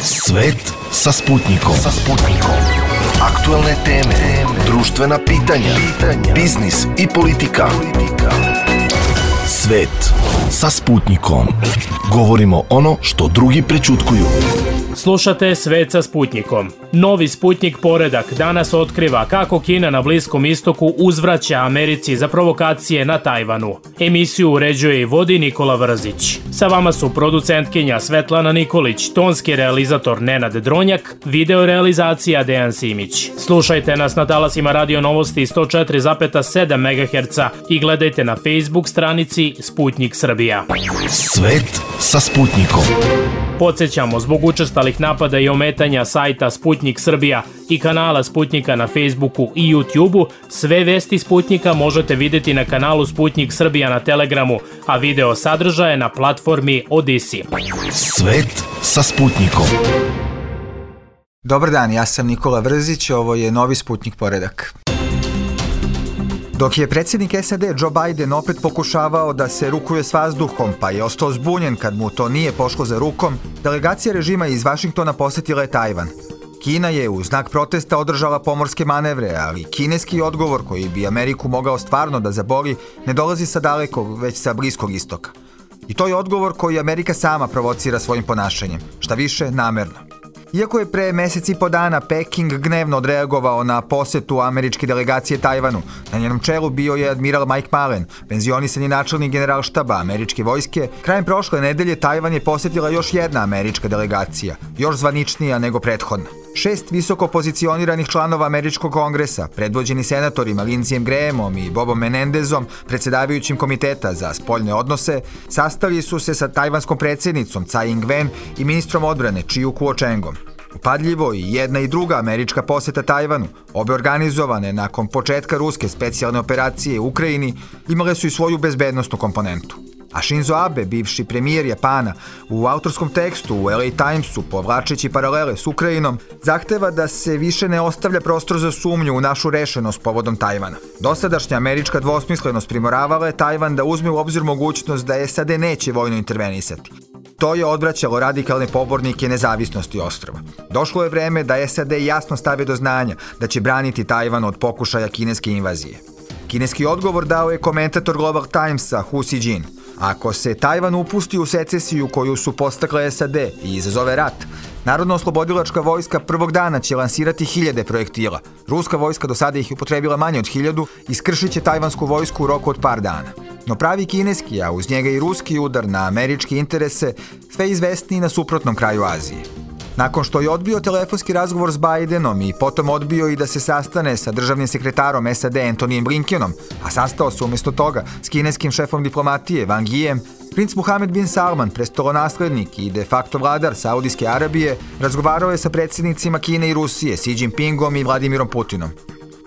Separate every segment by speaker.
Speaker 1: Svet sa Sputnikom. Aktuelne teme, društvena pitanja, biznis i politika. Svet sa Sputnikom. Govorimo ono što drugi prećutkuju.
Speaker 2: Slušate Svet sa Sputnikom. Novi Sputnik poredak danas otkriva kako Kina na Bliskom istoku uzvraća Americi za provokacije na Tajvanu. Emisiju uređuje i vodi Nikola Vrzić. Sa vama su producentkinja Svetlana Nikolić, tonski realizator Nenad Dronjak, video realizacija Dejan Simić. Slušajte nas na talasima Radio Novosti 104,7 MHz i gledajte na Facebook stranici Sputnik Srbija.
Speaker 1: Svet sa Sputnikom.
Speaker 2: Podsećamo, zbog učestalih napada i ometanja sajta Sputnik Srbija i kanala Sputnika na Facebooku i YouTubeu, sve vesti Sputnika možete vidjeti na kanalu Sputnik Srbija na Telegramu, a video sadržaje na platformi Odisi.
Speaker 1: Svet sa Sputnikom.
Speaker 3: Dobar dan, ja sam Nikola Vrzić, ovo je novi Sputnik poredak. Dok je predsjednik SAD Joe Biden opet pokušavao da se rukuje s vazduhom, pa je ostao zbunjen kad mu to nije pošlo za rukom, delegacija režima iz Vašingtona posjetila je Tajvan. Kina je u znak protesta održala pomorske manevre, ali kineski odgovor koji bi Ameriku mogao stvarno da zaboli ne dolazi sa dalekog, već sa Bliskog istoka. I to je odgovor koji Amerika sama provocira svojim ponašanjem, šta više namerno. Iako je pre mesec i po dana Peking gnevno odreagovao na posetu američke delegacije Tajvanu, na njenom čelu bio je admiral Mike Mullen, penzionisani načelnik generalštaba američke vojske, krajem prošle nedelje Tajvan je posetila još jedna američka delegacija, još zvaničnija nego prethodna. 6 visoko pozicioniranih članova američkog kongresa, predvođeni senatorima Lindseyem Grahamom i Bobom Menendezom, predsjedavajućim komiteta za spoljne odnose, sastali su se sa tajvanskom predsjednicom Tsai Ing-wen i ministrom odbrane Chiu Kuo-chengom. Upadljivo i jedna i druga američka poseta Tajvanu, obe organizovane nakon početka ruske specijalne operacije u Ukrajini, imale su i svoju bezbednosnu komponentu. A Shinzo Abe, bivši premijer Japana, u autorskom tekstu u LA Timesu, povlačeći paralele s Ukrajinom, zahteva da se više ne ostavlja prostor za sumnju u našu rešenost povodom Tajvana. Dosadašnja američka dvosmislenost primoravala je Tajvan da uzme u obzir mogućnost da SAD neće vojno intervenisati. To je odvraćalo radikalne pobornike nezavisnosti ostrva. Došlo je vreme da SAD jasno stave do znanja da će braniti Tajvan od pokušaja kineske invazije. Kineski odgovor dao je komentator Global Timesa Hu Xijin. Ako se Tajvan upusti u secesiju koju su podstakle SAD i izazove rat, Narodno-oslobodilačka vojska prvog dana će lansirati 1000 projektila. Ruska vojska do sada ih je upotrebila manje od 1000 i skršit će tajvansku vojsku u roku od par dana. No pravi kineski, a uz njega i ruski udar na američke interese, sve izvestniji na suprotnom kraju Azije. Nakon što je odbio telefonski razgovor s Bidenom i potom odbio i da se sastane sa državnim sekretarom SAD Antonyjem Blinkenom, a sastao se umjesto toga s kineskim šefom diplomatije Wang Yijem, princ Mohammed bin Salman, prestolonaslednik i de facto vladar Saudijske Arabije, razgovarao je sa predsjednicima Kine i Rusije, Xi Jinpingom i Vladimirom Putinom.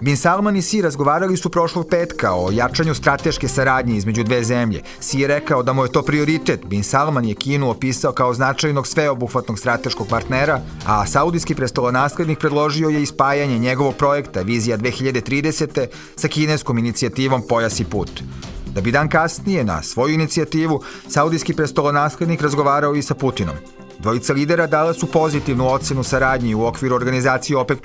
Speaker 3: Bin Salman i Xi razgovarali su prošlog petka o jačanju strateške saradnje između dve zemlje. Xi je rekao da mu je to prioritet. Bin Salman je Kinu opisao kao značajnog sveobuhvatnog strateškog partnera, a saudijski prestolonaslednik predložio je ispajanje njegovog projekta Vizija 2030. sa kineskom inicijativom Pojas i put. Da bi dan kasnije na svoju inicijativu saudijski prestolonaslednik razgovarao i sa Putinom. Dvojica lidera dala su pozitivnu ocenu saradnji u okviru organizacije OPEC+,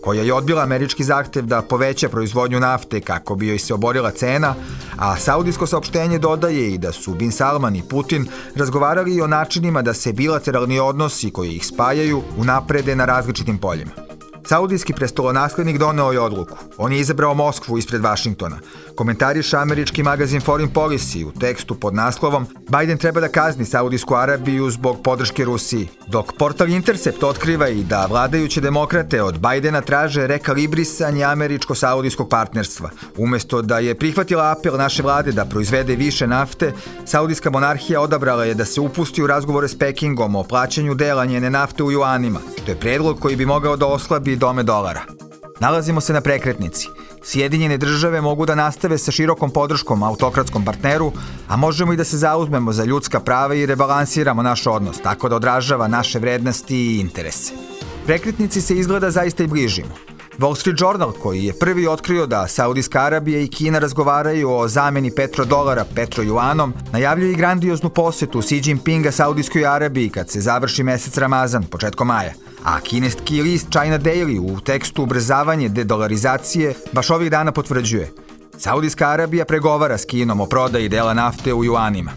Speaker 3: koja je odbila američki zahtev da poveća proizvodnju nafte kako bi joj se oborila cena, a saudijsko saopštenje dodaje i da su Bin Salman i Putin razgovarali i o načinima da se bilateralni odnosi koji ih spajaju unaprede na različitim poljima. Saudijski prestolonaslednik doneo je odluku. On je izabrao Moskvu ispred Vašingtona. Komentariše američki magazin Foreign Policy u tekstu pod naslovom Biden treba da kazni Saudijsku Arabiju zbog podrške Rusiji. Dok portal Intercept otkriva i da vladajuće demokrate od Bidena traže rekalibrisanje američko-saudijskog partnerstva. Umjesto da je prihvatila apel naše vlade da proizvede više nafte, saudijska monarhija odabrala je da se upusti u razgovore s Pekingom o plaćanju dela njene nafte u juanima. To je predlog koji bi mogao da oslabi dome dolara. Nalazimo se na prekretnici. Sjedinjene države mogu da nastave sa širokom podrškom autokratskom partneru, a možemo i da se zauzmemo za ljudska prava i rebalansiramo naš odnos, tako da odražava naše vrednosti i interese. Prekretnici se izgleda zaista i bližimo. Wall Street Journal, koji je prvi otkrio da Saudijska Arabija i Kina razgovaraju o zameni petrodolara petrojuanom, najavljuje i grandioznu posetu Xi Jinpinga Saudijskoj Arabiji kad se završi mesec Ramazan, početkom maja. A kineski list China Daily u tekstu ubrzavanje dedolarizacije baš ovih dana potvrđuje. Saudijska Arabija pregovara s Kinom o prodaji dela nafte u juanima.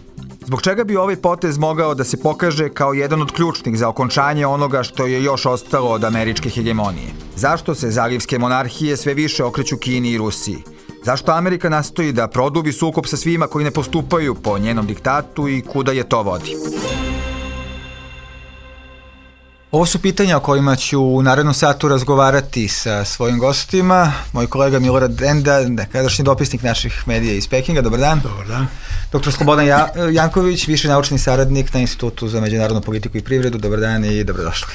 Speaker 3: Zbog čega bi ovaj potez mogao da se pokaže kao jedan od ključnih za okončanje onoga što je još ostalo od američke hegemonije? Zašto se zalivske monarhije sve više okreću Kini i Rusiji? Zašto Amerika nastoji da produbi sukob sa svima koji ne postupaju po njenom diktatu i kuda je to vodi? Ovo su pitanja o kojima ću u narednom satu razgovarati sa svojim gostima. Moj kolega Milorad Denda, nekadašnji dopisnik naših medija iz Pekinga. Dobar dan.
Speaker 4: Dobar dan.
Speaker 3: Dr. Slobodan Janković, viši naučni saradnik na Institutu za međunarodnu politiku i privredu. Dobar dan i dobrodošli.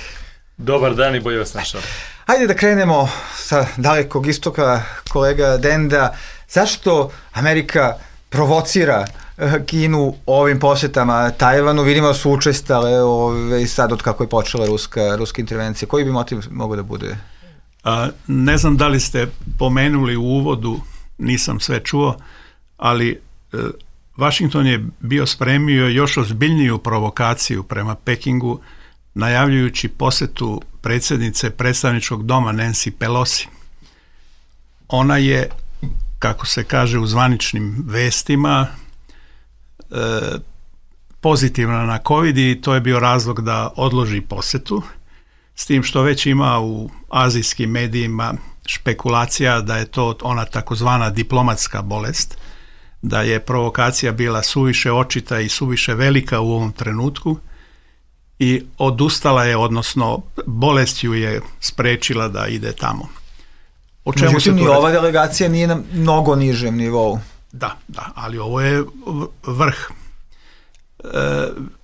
Speaker 4: Dobar dan i bolje vas našao.
Speaker 3: Hajde da krenemo sa dalekog istoka, kolega Denda. Zašto Amerika provocira Kinu ovim posetama Tajvanu? Vidimo da su učestale sad od kako je počela ruska intervencija. Koji bi motiv mogao da bude?
Speaker 4: Ne znam da li ste pomenuli u uvodu, nisam sve čuo, ali Washington je bio spremio još ozbiljniju provokaciju prema Pekingu, najavljujući posetu predsjednice predstavničkog doma Nancy Pelosi. Ona je, kako se kaže u zvaničnim vestima, pozitivna na COVID i to je bio razlog da odloži posetu, s tim što već ima u azijskim medijima špekulacija da je to ona takozvana diplomatska bolest, da je provokacija bila suviše očita i suviše velika u ovom trenutku i odustala je, odnosno bolest ju je sprečila da ide tamo. O čemu
Speaker 3: Međutim, se ova delegacija nije na mnogo nižem nivou.
Speaker 4: Da, ali ovo je vrh.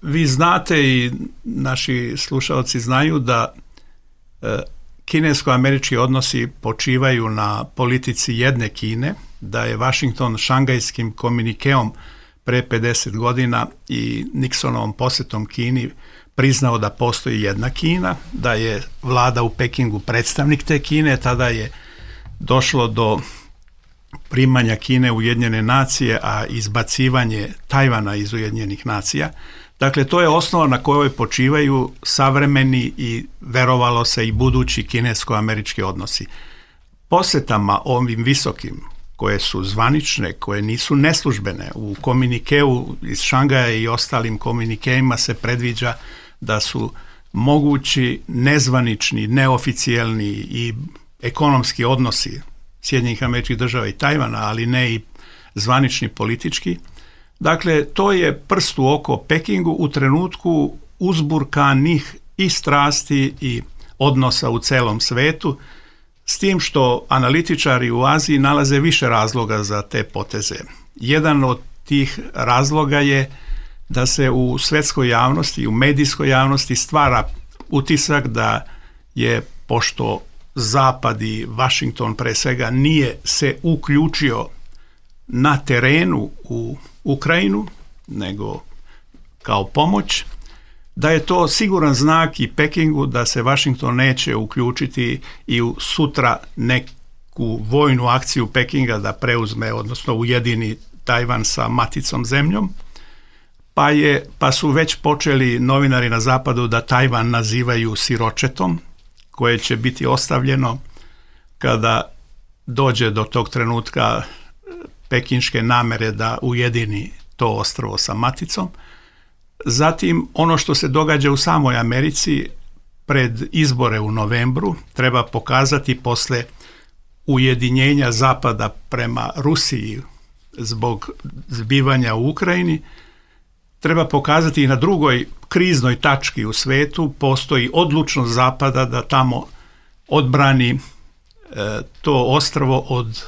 Speaker 4: Vi znate i naši slušalci znaju da kinesko-američki odnosi počivaju na politici jedne Kine, da je Washington šangajskim komunikeom pre 50 godina i Nixonovom posjetom Kini priznao da postoji jedna Kina, da je vlada u Pekingu predstavnik te Kine, tada je došlo do primanja Kine u Ujedinjene nacije, a izbacivanje Tajvana iz Ujedinjenih nacija. Dakle, to je osnova na kojoj počivaju savremeni i verovalo se i budući kinesko-američki odnosi. Posjetama ovim visokim, koje su zvanične, koje nisu neslužbene, u komunikeu iz Šangaja i ostalim komunikeima se predviđa da su mogući nezvanični, neoficijelni i ekonomski odnosi Sjedinjenih Američkih Država i Tajvana, ali ne i zvanični politički. Dakle, to je prst u oko Pekingu u trenutku uzburkanih i strasti i odnosa u celom svetu, s tim što analitičari u Aziji nalaze više razloga za te poteze. Jedan od tih razloga je da se u svetskoj javnosti, u medijskoj javnosti stvara utisak da je, pošto Zapad i Washington pre svega nije se uključio na terenu u Ukrajinu, nego kao pomoć, da je to siguran znak i Pekingu da se Washington neće uključiti i u sutra neku vojnu akciju Pekinga da preuzme, odnosno ujedini Tajvan sa maticom zemljom, pa su već počeli novinari na zapadu da Tajvan nazivaju siročetom, koje će biti ostavljeno kada dođe do tog trenutka pekinške namere da ujedini to ostrvo sa maticom. Zatim, ono što se događa u samoj Americi pred izbore u novembru treba pokazati posle ujedinjenja Zapada prema Rusiji zbog zbivanja u Ukrajini. Treba pokazati i na drugoj kriznoj tački u svetu postoji odlučnost Zapada da tamo odbrani to ostrvo od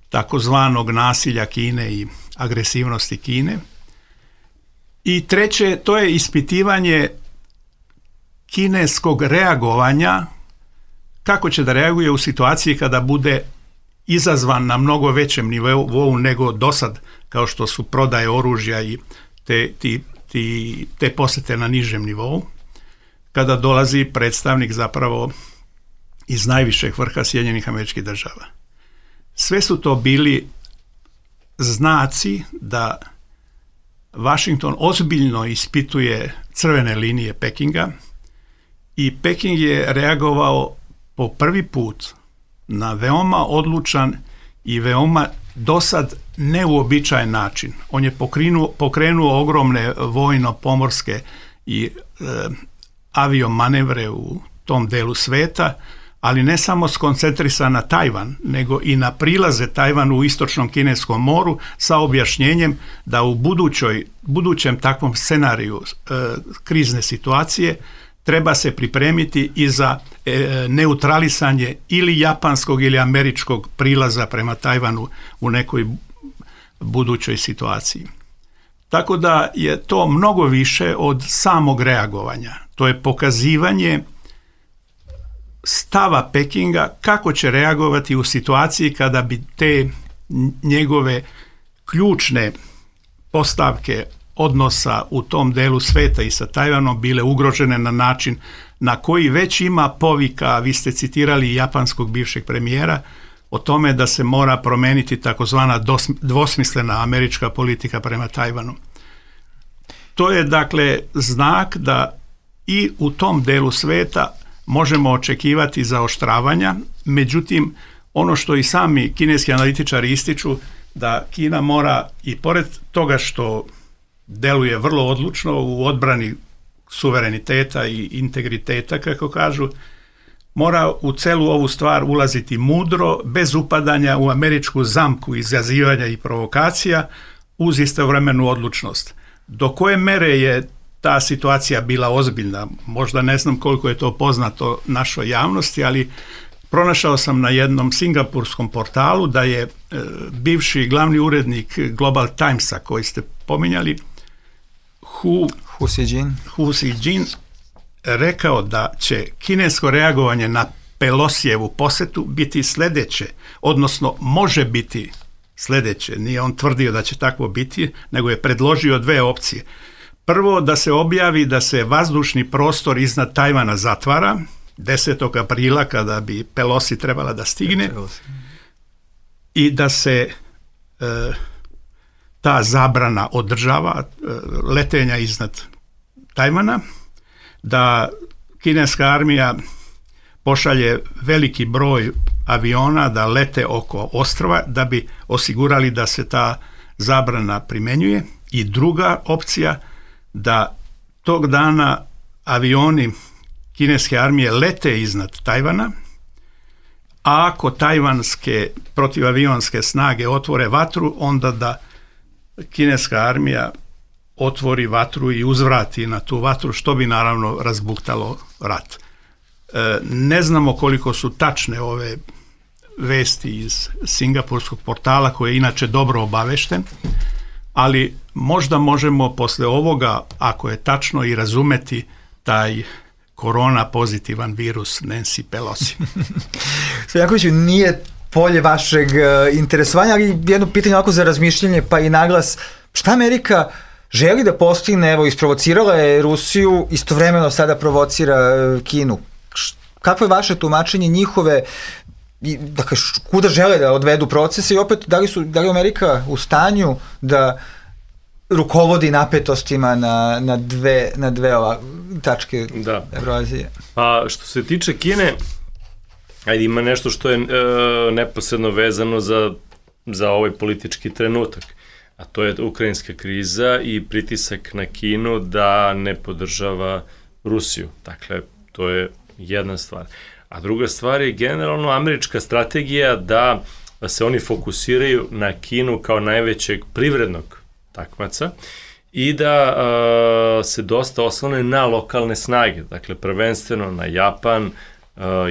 Speaker 4: takozvanog nasilja Kine i agresivnosti Kine. I treće, to je ispitivanje kineskog reagovanja, kako će da reaguje u situaciji kada bude izazvan na mnogo većem nivou nego dosad, kao što su prodaje oružja i te posete na nižem nivou, kada dolazi predstavnik zapravo iz najvišeg vrha Sjedinjenih Američkih Država. Sve su to bili znaci da Washington ozbiljno ispituje crvene linije Pekinga i Peking je reagovao po prvi put na veoma odlučan i veoma dosad neuobičajen način. On je pokrenuo ogromne vojno-pomorske i aviomanevre u tom delu sveta, ali ne samo skoncentrisan na Tajvan, nego i na prilaze Tajvanu u istočnom Kineskom moru sa objašnjenjem da u budućem takvom scenariju krizne situacije treba se pripremiti i za neutralisanje ili japanskog ili američkog prilaza prema Tajvanu u nekoj budućoj situaciji. Tako da je to mnogo više od samog reagovanja. To je pokazivanje stava Pekinga kako će reagovati u situaciji kada bi te njegove ključne postavke odnosa u tom delu sveta i sa Tajvanom bile ugrožene na način na koji već ima povika, vi ste citirali japanskog bivšeg premijera, o tome da se mora promeniti takozvana dvosmislena američka politika prema Tajvanu. To je dakle znak da i u tom delu sveta možemo očekivati zaoštravanja, međutim ono što i sami kineski analitičari ističu, da Kina mora i pored toga što deluje vrlo odlučno u odbrani suvereniteta i integriteta, kako kažu, mora u celu ovu stvar ulaziti mudro, bez upadanja u američku zamku izazivanja i provokacija, uz istovremenu odlučnost. Do koje mere je ta situacija bila ozbiljna? Možda ne znam koliko je to poznato našoj javnosti, ali pronašao sam na jednom singapurskom portalu da je bivši glavni urednik Global Timesa, koji ste pominjali, Hu Xijin, rekao da će kinesko reagovanje na Pelosijevu posetu biti sljedeće, odnosno može biti sljedeće. Nije on tvrdio da će takvo biti, nego je predložio dve opcije. Prvo, da se objavi da se vazdušni prostor iznad Tajvana zatvara 10. aprila kada bi Pelosi trebala da stigne i da se ta zabrana održava letenja iznad Tajvana, da kineska armija pošalje veliki broj aviona da lete oko ostrva da bi osigurali da se ta zabrana primjenjuje. I druga opcija, da tog dana avioni kineske armije lete iznad Tajvana, a ako tajvanske protivavionske snage otvore vatru, onda da kineska armija otvori vatru i uzvrati na tu vatru, što bi naravno razbuktalo rat. Ne znamo koliko su tačne ove vesti iz singapurskog portala, koji je inače dobro obavešten, ali možda možemo posle ovoga, ako je tačno, i razumeti taj korona pozitivan virus Nancy Pelosi.
Speaker 3: Stojankoviću, nije polje vašeg interesovanja, ali jedno pitanje ovako za razmišljanje, pa i naglas. Šta Amerika želi da postigne? Evo, isprovocirala je Rusiju, istovremeno sada provocira Kinu. Kako je vaše tumačenje njihove, dakle, kuda žele da odvedu procese i opet, da li Amerika u stanju da rukovodi napetostima na dve tačke Evroazije?
Speaker 5: A što se tiče Kine, ajde, ima nešto što je neposredno vezano za ovaj politički trenutak, a to je ukrajinska kriza i pritisak na Kinu da ne podržava Rusiju. Dakle, to je jedna stvar. A druga stvar je generalno američka strategija da se oni fokusiraju na Kinu kao najvećeg privrednog takmaca i da se dosta oslone na lokalne snage, dakle prvenstveno na Japan,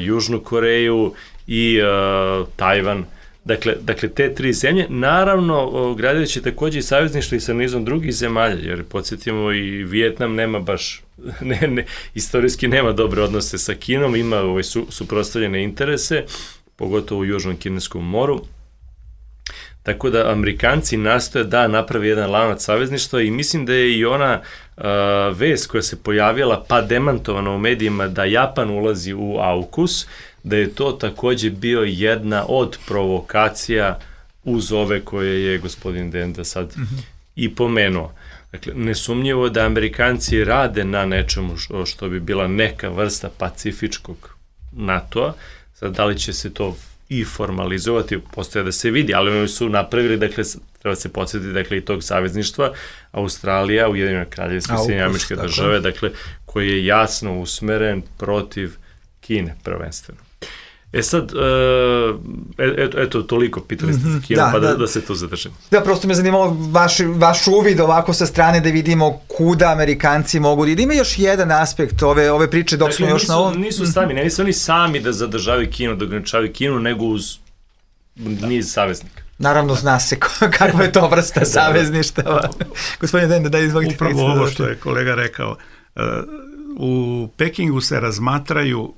Speaker 5: Južnu Koreju i Tajvan. Dakle, te tri zemlje, naravno, gradajući takođe i savezništvo i sa nizom drugih zemalja, jer podsjetimo i Vijetnam nema baš, istorijski nema dobre odnose sa Kinom, ima suprotstavljene interese, pogotovo u Južnom Kineskom moru. Tako da Amerikanci nastoje da napravi jedan lanac savezništva i mislim da je i ona vest koja se pojavila pa demantovana u medijima da Japan ulazi u AUKUS, da je to takođe bio jedna od provokacija uz ove koje je gospodin Denda sad i pomenuo. Dakle, nesumnjivo da Amerikanci rade na nečemu što bi bila neka vrsta pacifičkog NATO-a. Sad, da li će se to i formalizovati, postoje da se vidi, ali oni su napravili, dakle, treba se podsjetiti, dakle, i tog savezništva, Australija, Ujedinjena Kraljevstva, Sjedinjene Američke Države, dakle, koji je jasno usmeren protiv Kine, prvenstveno. Sad, eto, toliko pitali ste za Kinu, pa da se tu zadržimo.
Speaker 3: Da, prosto me zanimalo vaš uvid ovako sa strane da vidimo kuda Amerikanci mogu da ima još jedan aspekt ove priče dok smo još na ovom...
Speaker 5: Nisu sami, ne nisu oni sami da zadržavaju Kinu, da ograničavaju Kinu, nego uz niz saveznika.
Speaker 3: Naravno, zna se kakva je to vrsta savezništava. Gospodine Denda, da izvolite.
Speaker 4: Upravo ovo što je kolega rekao. U Pekingu se razmatraju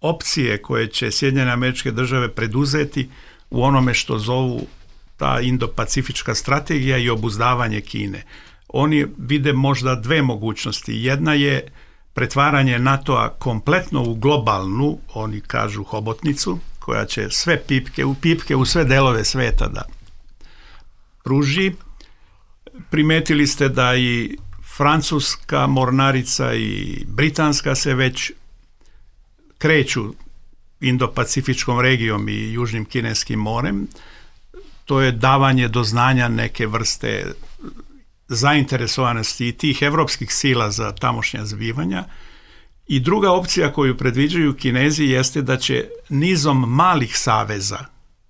Speaker 4: opcije koje će Sjedinjene Američke Države preduzeti u onome što zovu ta indo-pacifička strategija i obuzdavanje Kine. Oni vide možda dve mogućnosti. Jedna je pretvaranje NATO-a kompletno u globalnu, oni kažu hobotnicu, koja će sve pipke u sve delove sveta da pruži. Primetili ste da i francuska mornarica i britanska se već kreću Indo-Pacifičkom regijom i Južnim Kineskim morem. To je davanje do znanja neke vrste zainteresovanosti i tih evropskih sila za tamošnja zbivanja. I druga opcija koju predviđaju Kinezi jeste da će nizom malih saveza,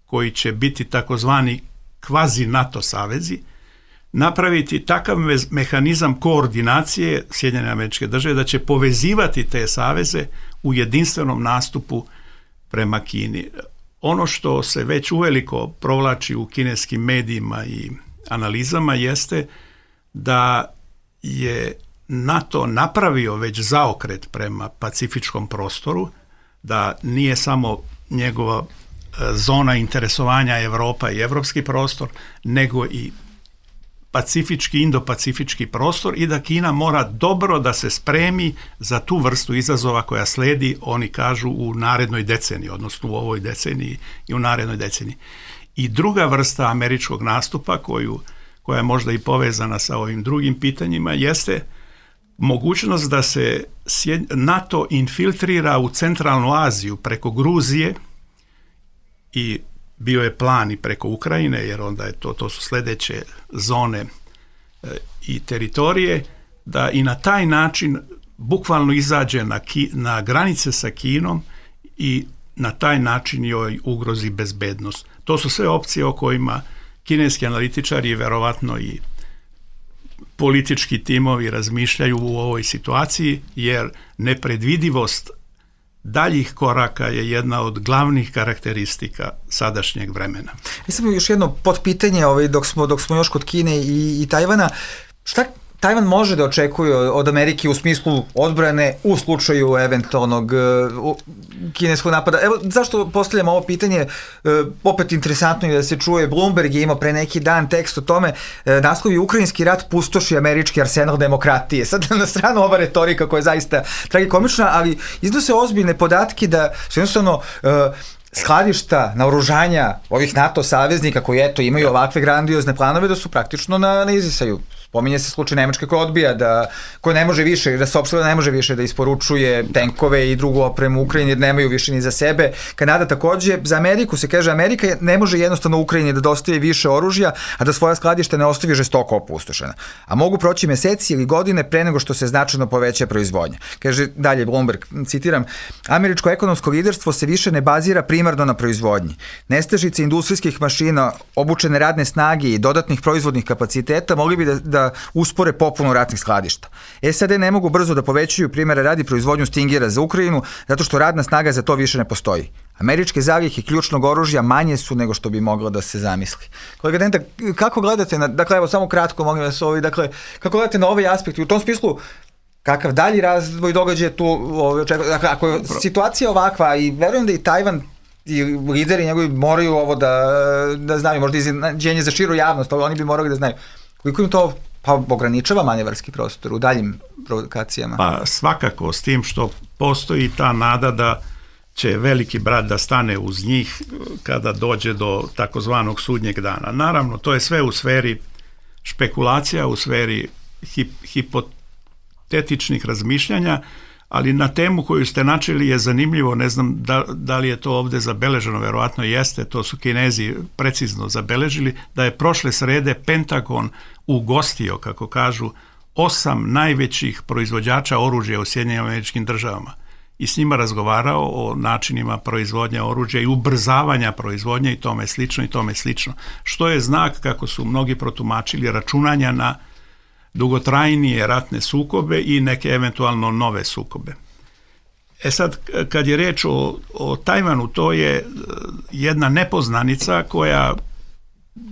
Speaker 4: koji će biti takozvani kvazi NATO savezi, napraviti takav mehanizam koordinacije Sjedinjene Američke Države da će povezivati te saveze u jedinstvenom nastupu prema Kini. Ono što se već uveliko provlači u kineskim medijima i analizama jeste da je NATO napravio već zaokret prema pacifičkom prostoru, da nije samo njegova zona interesovanja Evropa i evropski prostor, nego i pacifički, indo-pacifički prostor i da Kina mora dobro da se spremi za tu vrstu izazova koja sledi, oni kažu, u narednoj deceniji, odnosno u ovoj deceniji i u narednoj deceniji. I druga vrsta američkog nastupa koja je možda i povezana sa ovim drugim pitanjima jeste mogućnost da se NATO infiltrira u centralnu Aziju preko Gruzije i bio je plan i preko Ukrajine, jer onda je to su sledeće zone i teritorije, da i na taj način bukvalno izađe na granice sa Kinom i na taj način joj ugrozi bezbednost. To su sve opcije o kojima kineski analitičari i verovatno i politički timovi razmišljaju u ovoj situaciji, jer nepredvidivost daljih koraka je jedna od glavnih karakteristika sadašnjeg vremena.
Speaker 3: Samo još jedno potpitanje dok smo još kod Kine i Tajvana. Šta Tajvan može da očekuje od Amerike u smislu odbrane u slučaju eventualnog kineskog napada? Evo, zašto postavljam ovo pitanje? Opet interesantno je da se čuje, Bloomberg je imao pre neki dan tekst o tome, naslov je Ukrajinski rat pustoši američki arsenal demokratije. Sad na stranu ova retorika koja je zaista tragikomična, ali iznose ozbiljne podatke da su jednostavno skladišta, naoružanja ovih NATO saveznika koji imaju ovakve grandiozne planove da su praktično na izdisaju. Spominje se slučaj Nemačke koja odbija koja ne može više, da saopštila ne može više da isporučuje tenkove i drugu opremu Ukrajini jer nemaju više ni za sebe. Kanada takođe, za Ameriku se kaže Amerika ne može jednostavno Ukrajini da dostavi više oružja, a da svoja skladišta ne ostavi žestoko opustošena. A mogu proći meseci ili godine pre nego što se značajno poveća proizvodnja. Kaže dalje Bloomberg, citiram, američko ekonomsko liderstvo se više ne bazira primarno na proizvodnji. Nestašice industrijskih mašina, obučene radne snage i dodatnih proizvodnih kapaciteta mogli bi da uspore popunu ratnih skladišta. SAD ne mogu brzo da povećaju, primjera radi, proizvodnju Stingera za Ukrajinu, zato što radna snaga za to više ne postoji. Američke zalihe ključnog oružja manje su nego što bi moglo da se zamisli. Kolega Denda, kako gledate dakle, evo samo kratko, molim vas kako gledate na ovaj aspekt i u tom smislu kakav dalji razvoj događaja tu, dakle, ako je situacija ovakva i verujem da i Tajvan i lideri njegovi moraju ovo da znaju, možda iznenađenje za širu javnost, ali oni bi morali da znaju. Koliko im to ograničava manevarski prostor u daljim provokacijama?
Speaker 4: Pa svakako, s tim što postoji ta nada da će veliki brat da stane uz njih kada dođe do takozvanog sudnjeg dana. Naravno, to je sve u sferi špekulacija, u sferi hipotetičnih razmišljanja, ali na temu koju ste načeli je zanimljivo, ne znam da li je to ovde zabeleženo, verovatno jeste, to su Kinezi precizno zabeležili, da je prošle srede Pentagon ugostio, kako kažu, 8 najvećih proizvođača oružja u Sjedinjenim Američkim Državama i s njima razgovarao o načinima proizvodnje oružja i ubrzavanja proizvodnje i tome slično, što je znak, kako su mnogi protumačili, računanja na dugotrajnije ratne sukobe i neke eventualno nove sukobe. Sad, kad je reč o Tajvanu, to je jedna nepoznanica koja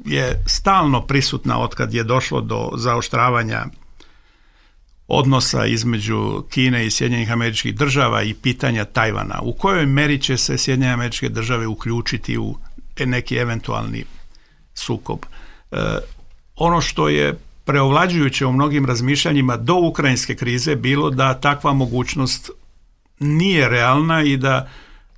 Speaker 4: je stalno prisutna od kad je došlo do zaoštravanja odnosa između Kine i Sjedinjenih Američkih Država i pitanja Tajvana. U kojoj meri će se Sjedinjene Američke Države uključiti u neki eventualni sukob? Ono što je preovlađujuće u mnogim razmišljanjima do ukrajinske krize bilo da takva mogućnost nije realna i da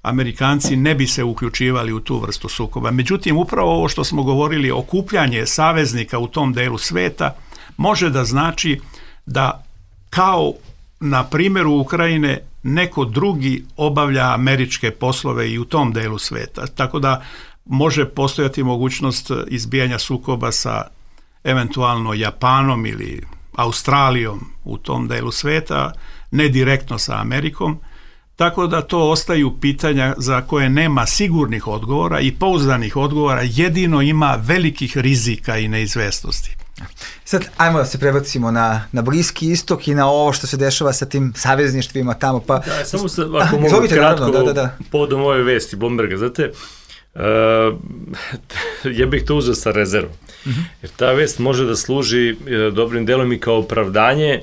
Speaker 4: Amerikanci ne bi se uključivali u tu vrstu sukoba. Međutim, upravo ovo što smo govorili, okupljanje saveznika u tom delu sveta, može da znači da kao na primjeru Ukrajine neko drugi obavlja američke poslove i u tom delu sveta. Tako da može postojati mogućnost izbijanja sukoba sa eventualno Japanom ili Australijom u tom delu sveta, ne direktno sa Amerikom, tako da to ostaju pitanja za koje nema sigurnih odgovora i pouzdanih odgovora, jedino ima velikih rizika i neizvesnosti.
Speaker 3: Sad, ajmo da se prebacimo na Bliski istok i na ovo što se dešava sa tim savezništvima tamo. Pa...
Speaker 5: Da, samo ako mogu kratko povodom ove vesti Blomberga, znate, ja bih to uzeo sa rezervom. Jer ta vest može da služi dobrim delom i kao opravdanje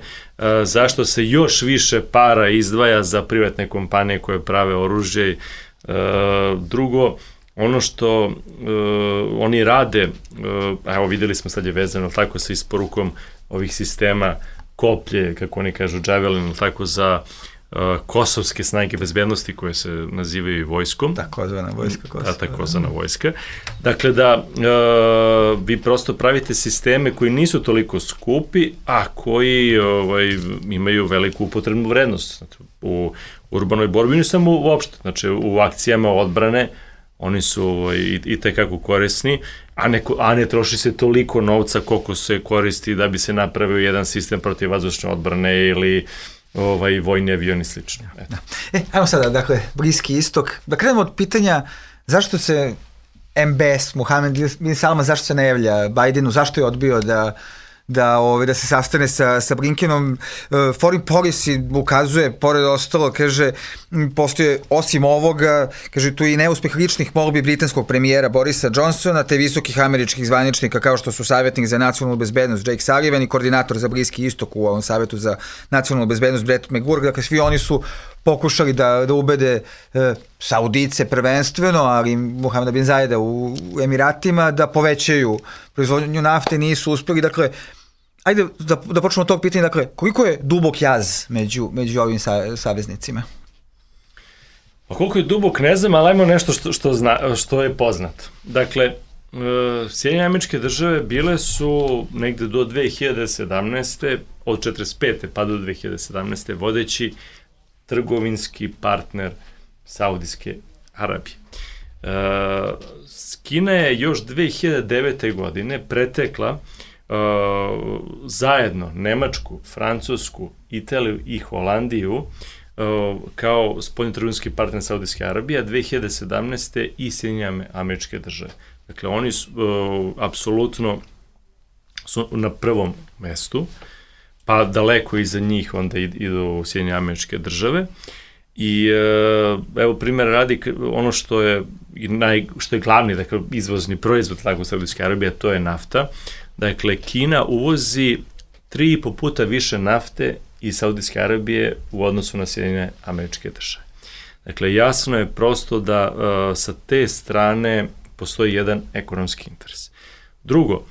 Speaker 5: zašto se još više para izdvaja za privatne kompanije koje prave oružje. Drugo, ono što oni rade, evo videli smo sad je vezano tako sa isporukom ovih sistema koplje, kako oni kažu Javelin, tako za kosovske snage bezbednosti koje se nazivaju i vojskom.
Speaker 3: Takozvana vojska Kosova.
Speaker 5: Takozvana vojska. Dakle, da vi prosto pravite sisteme koji nisu toliko skupi, a koji imaju veliku upotrebnu vrednost. Znači, u urbanoj borbi, ne samo uopšte, znači u akcijama odbrane, oni su i tekako korisni, a ne troši se toliko novca koliko se koristi da bi se napravio jedan sistem protivvazdušne odbrane ili vojni avion i slično.
Speaker 3: Ajmo sada, dakle, Bliski istok. Da krenemo od pitanja zašto se MBS, Mohamed bin Salman, zašto se ne javlja Bajdenu, zašto je odbio da se sastane sa Blinkenom. Foreign Policy ukazuje, pored ostalo, kaže, postoje osim ovoga, kaže, tu i neuspeh ličnih molbi britanskog premijera Borisa Johnsona, te visokih američkih zvaničnika kao što su savjetnik za nacionalnu bezbednost Jake Sullivan i koordinator za Bliski istok u ovom savjetu za nacionalnu bezbednost Brett McGurk. Dakle, svi oni su pokušali da ubede Saudice prvenstveno, ali Mohameda bin Zajeda u Emiratima da povećaju proizvodnju nafte, nisu uspjeli. Dakle, ajde da počnemo od tog pitanja. Dakle, koliko je dubok jaz među ovim saveznicima?
Speaker 5: Pa koliko je dubok, ne znam, ali ajmo nešto što je poznato. Dakle, Sjedinjene Američke Države bile su negde do 2017. od 45. pa do 2017. vodeći trgovinski partner Saudijske Arabije. Kina je još 2009. godine pretekla zajedno Nemačku, Francusku, Italiju i Holandiju kao spoljnotrgovinski partner Saudijske Arabije, a 2017. i Sjedinjene Američke Države. Dakle, oni su apsolutno su na prvom mestu, pa daleko iza njih onda idu Sjedinjene Američke Države. I evo primjer radi ono što je glavni, dakle, izvozni proizvod tako Saudijske Arabije, to je nafta. Dakle, Kina uvozi 3,5 puta više nafte iz Saudijske Arabije u odnosu na Sjedinjene Američke Države. Dakle, jasno je prosto da sa te strane postoji jedan ekonomski interes. Drugo,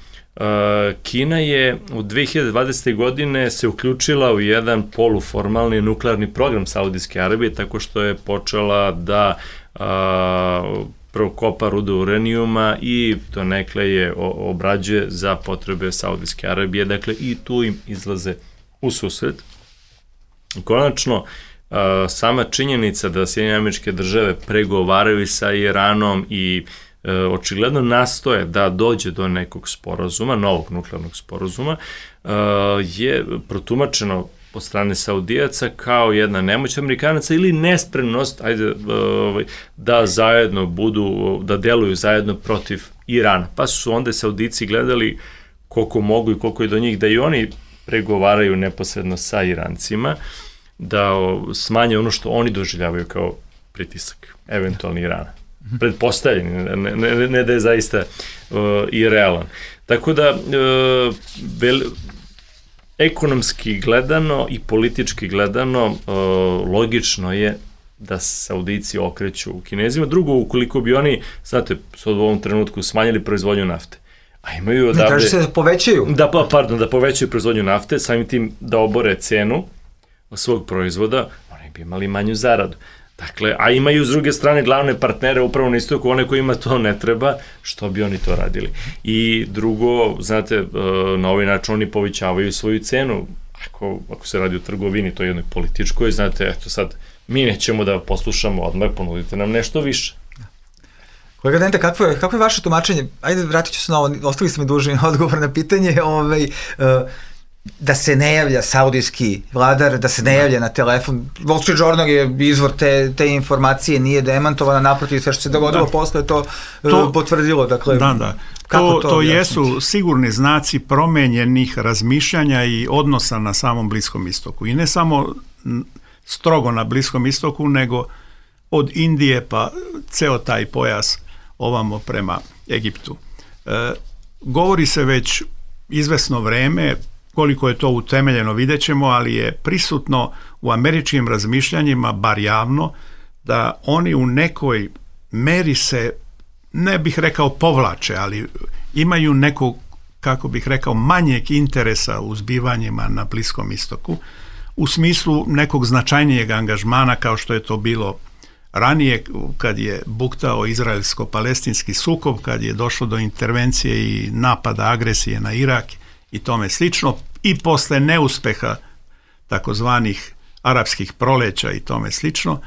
Speaker 5: Kina je u 2020. godine se uključila u jedan poluformalni nuklearni program Saudijske Arabije, tako što je počela da prvo kopa rudu uranijuma i to nekle je obrađuje za potrebe Saudijske Arabije, dakle i tu im izlaze u susret. Konačno, sama činjenica da Sjedinjene Američke Države pregovaraju sa Iranom i očigledno nastoje da dođe do nekog sporazuma, novog nuklearnog sporazuma, je protumačeno od strane Saudijaca kao jedna nemoć Amerikanaca ili nespremnost da zajedno budu, da deluju zajedno protiv Irana. Pa su onda Saudici gledali koliko mogu i koliko je do njih da i oni pregovaraju neposredno sa Irancima, da smanje ono što oni doživljavaju kao pritisak, eventualni Irana. Pretpostavljeni, ne da je zaista i realan. Tako da, ekonomski gledano i politički gledano, logično je da Saudici okreću u Kinezima. Drugo, ukoliko bi oni, znate, u ovom trenutku smanjili proizvodnju nafte, a imaju odavde...
Speaker 3: Ne traži se da povećaju.
Speaker 5: Da povećaju proizvodnju nafte, samim tim da obore cenu svog proizvoda, oni bi imali manju zaradu. Dakle, a imaju s druge strane glavne partnere upravo na istoku, one kojima to ne treba, što bi oni to radili. I drugo, znate, na ovaj način oni povećavaju svoju cenu. Ako se radi o trgovini, to je jednoj političkoj, znate, eto sad, mi nećemo da poslušamo odmah, ponudite nam nešto više.
Speaker 3: Kolega Dente, kako je vaše tumačenje? Ajde, vratit ću se na ovo, ostali ste mi dužni odgovor na pitanje, da se ne javlja saudijski vladar, da se ne javlja na telefon. Wall Street Journal je izvor te informacije, nije demantovana, naprotiv, sve što se dogodilo posle to potvrdilo. Dakle,
Speaker 4: to jesu sigurni znaci promenjenih razmišljanja i odnosa na samom Bliskom istoku. I ne samo strogo na Bliskom istoku, nego od Indije pa ceo taj pojas ovamo prema Egiptu. Govori se već izvesno vreme, koliko je to utemeljeno vidjet ćemo, ali je prisutno u američkim razmišljanjima, bar javno, da oni u nekoj meri se, ne bih rekao povlače, ali imaju nekog, kako bih rekao, manjeg interesa u zbivanjima na Bliskom istoku, u smislu nekog značajnijeg angažmana kao što je to bilo ranije kad je buktao izraelsko-palestinski sukob, kad je došlo do intervencije i napada, agresije na Irak i tome slično, i posle neuspeha takozvanih arapskih proleća i tome slično,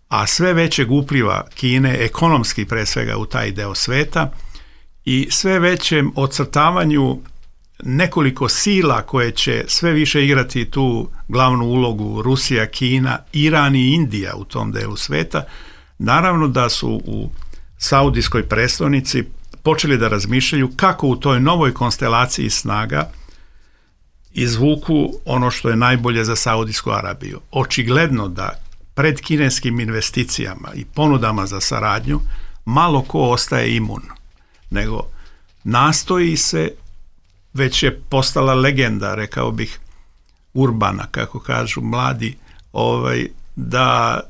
Speaker 4: a sve većeg upliva Kine, ekonomski pre svega, u taj deo sveta i sve većem ocrtavanju nekoliko sila koje će sve više igrati tu glavnu ulogu, Rusija, Kina, Iran i Indija u tom delu sveta. Naravno da su u saudijskoj prestonici počeli da razmišljaju kako u toj novoj konstelaciji snaga izvuku ono što je najbolje za Saudijsku Arabiju. Očigledno da pred kineskim investicijama i ponudama za saradnju malo ko ostaje imun, nego nastoji se, već je postala legenda, rekao bih, urbana, kako kažu mladi, da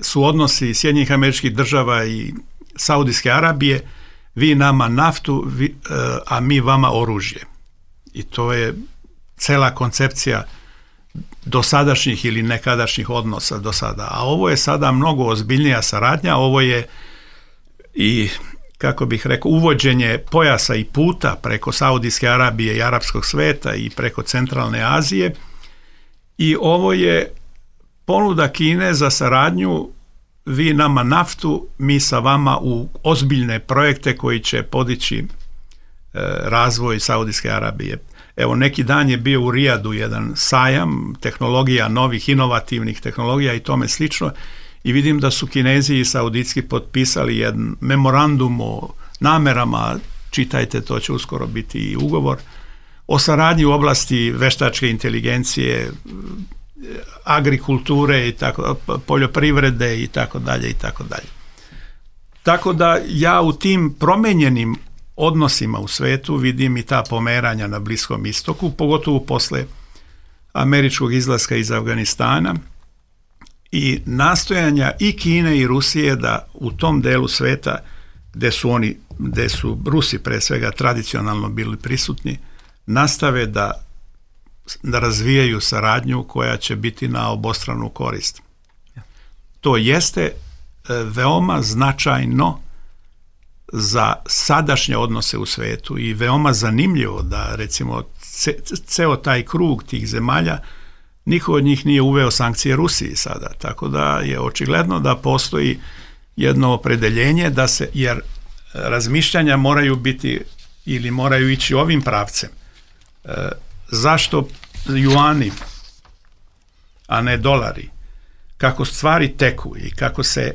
Speaker 4: su odnosi Sjedinjenih Američkih Država i Saudijske Arabije, vi nama naftu, a mi vama oružje. I to je cela koncepcija dosadašnjih ili nekadašnjih odnosa do sada. A ovo je sada mnogo ozbiljnija saradnja, ovo je i, kako bih rekao, uvođenje pojasa i puta preko Saudijske Arabije i arapskog sveta i preko Centralne Azije, i ovo je ponuda Kine za saradnju, vi nama naftu, mi sa vama u ozbiljne projekte koji će podići razvoj Saudijske Arabije. Evo, neki dan je bio u Rijadu jedan sajam tehnologija, novih inovativnih tehnologija i tome slično, i vidim da su Kinezi i Saudijski potpisali jedan memorandum o namerama, čitajte, to će uskoro biti i ugovor, o saradnji u oblasti veštačke inteligencije, agrikulture i tako, poljoprivrede i tako dalje i tako dalje. Tako da ja u tim promenjenim odnosima u svetu vidim i ta pomeranja na Bliskom istoku, pogotovo posle američkog izlaska iz Afganistana i nastojanja i Kine i Rusije da u tom delu sveta gde su Rusi pre svega tradicionalno bili prisutni, nastave da razvijaju saradnju koja će biti na obostranu korist. To jeste veoma značajno za sadašnje odnose u svetu i veoma zanimljivo da recimo ceo taj krug tih zemalja, niko od njih nije uveo sankcije Rusiji sada, tako da je očigledno da postoji jedno opredeljenje jer razmišljanja moraju biti ili moraju ići ovim pravcem. Zašto juani, a ne dolari? Kako stvari teku i kako se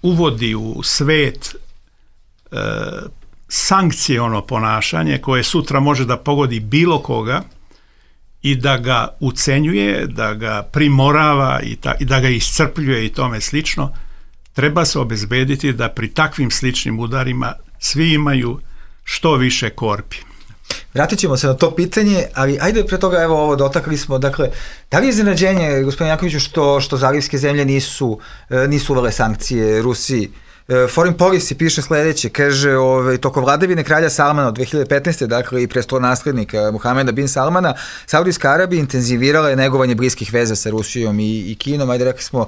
Speaker 4: uvodi u svet sankciono ponašanje koje sutra može da pogodi bilo koga i da ga ucenjuje, da ga primorava i da ga iscrpljuje i tome slično, treba se obezbediti da pri takvim sličnim udarima svi imaju što više korpi.
Speaker 3: Vratit ćemo se na to pitanje, ali ajde pre toga, evo ovo dotakli smo, dakle, da li je iznenađenje, gospodine Jankoviću, što zalivske zemlje nisu uvele sankcije Rusiji? Foreign Policy piše sledeće, kaže, toko vladavine kralja Salmana od 2015. dakle i prestolonaslednika Muhameda bin Salmana, Saudijska Arabija intenzivirala je negovanje bliskih veza sa Rusijom i Kinom. Ajde, rekli smo,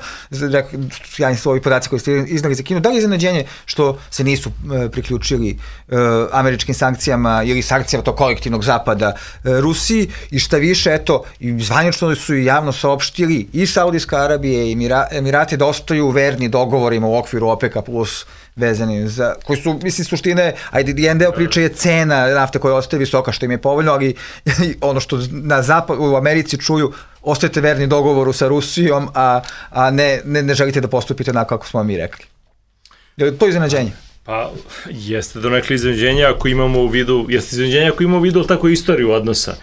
Speaker 3: sjajni su ovi podaci koji ste iznali za Kinu. Da li je iznenađenje što se nisu priključili američkim sankcijama ili sankcijama tog kolektivnog zapada Rusiji, i šta više, eto, zvanično su i javno saopštili i Saudijska Arabija i Emirati da ostaju verni dogovorima u okviru OPEC-a plus vezani za, koji su, mislim, suštine, ajde, jedan deo priče je cena nafte koja ostaje visoka, što im je povoljno, ali ono što u Americi čuju, ostajete verni dogovoru sa Rusijom, a ne želite da postupite onako kako smo mi rekli. Je li to iznenađenje?
Speaker 5: Pa, jeste donekle iznenađenje ako imamo u vidu, tako istoriju odnosa.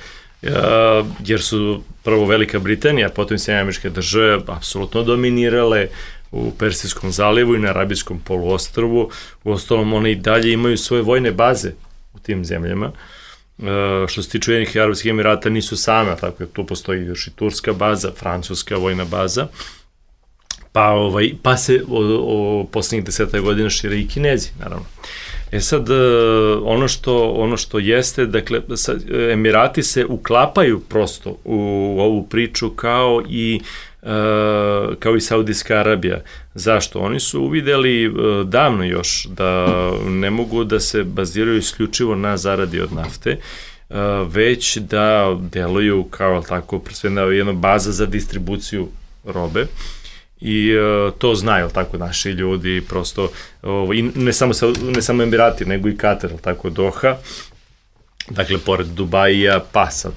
Speaker 5: Jer su prvo Velika Britanija, potom Sjedinjene Američke Države apsolutno dominirale u Persijskom zalivu i na Arabijskom poluostrvu. Uostalom, one i dalje imaju svoje vojne baze u tim zemljama. Što se tiče Ujedinjenih Arapskih Emirata, nisu same, tako je, tu postoji još i turska baza, francuska vojna baza, pa se poslednjih 10 godina šire i Kinezi, naravno. Sad, ono što jeste, dakle, Emirati se uklapaju prosto u ovu priču kao i Saudijska Arabija. Zašto? Oni su uvideli davno još da ne mogu da se baziraju isključivo na zaradi od nafte, već da deluju kao tako, jedna baza za distribuciju robe. I to znaju, tako, naši ljudi, prosto, i ne samo Emirati, nego i Katar, tako, Doha, dakle, pored Dubaija, pa sad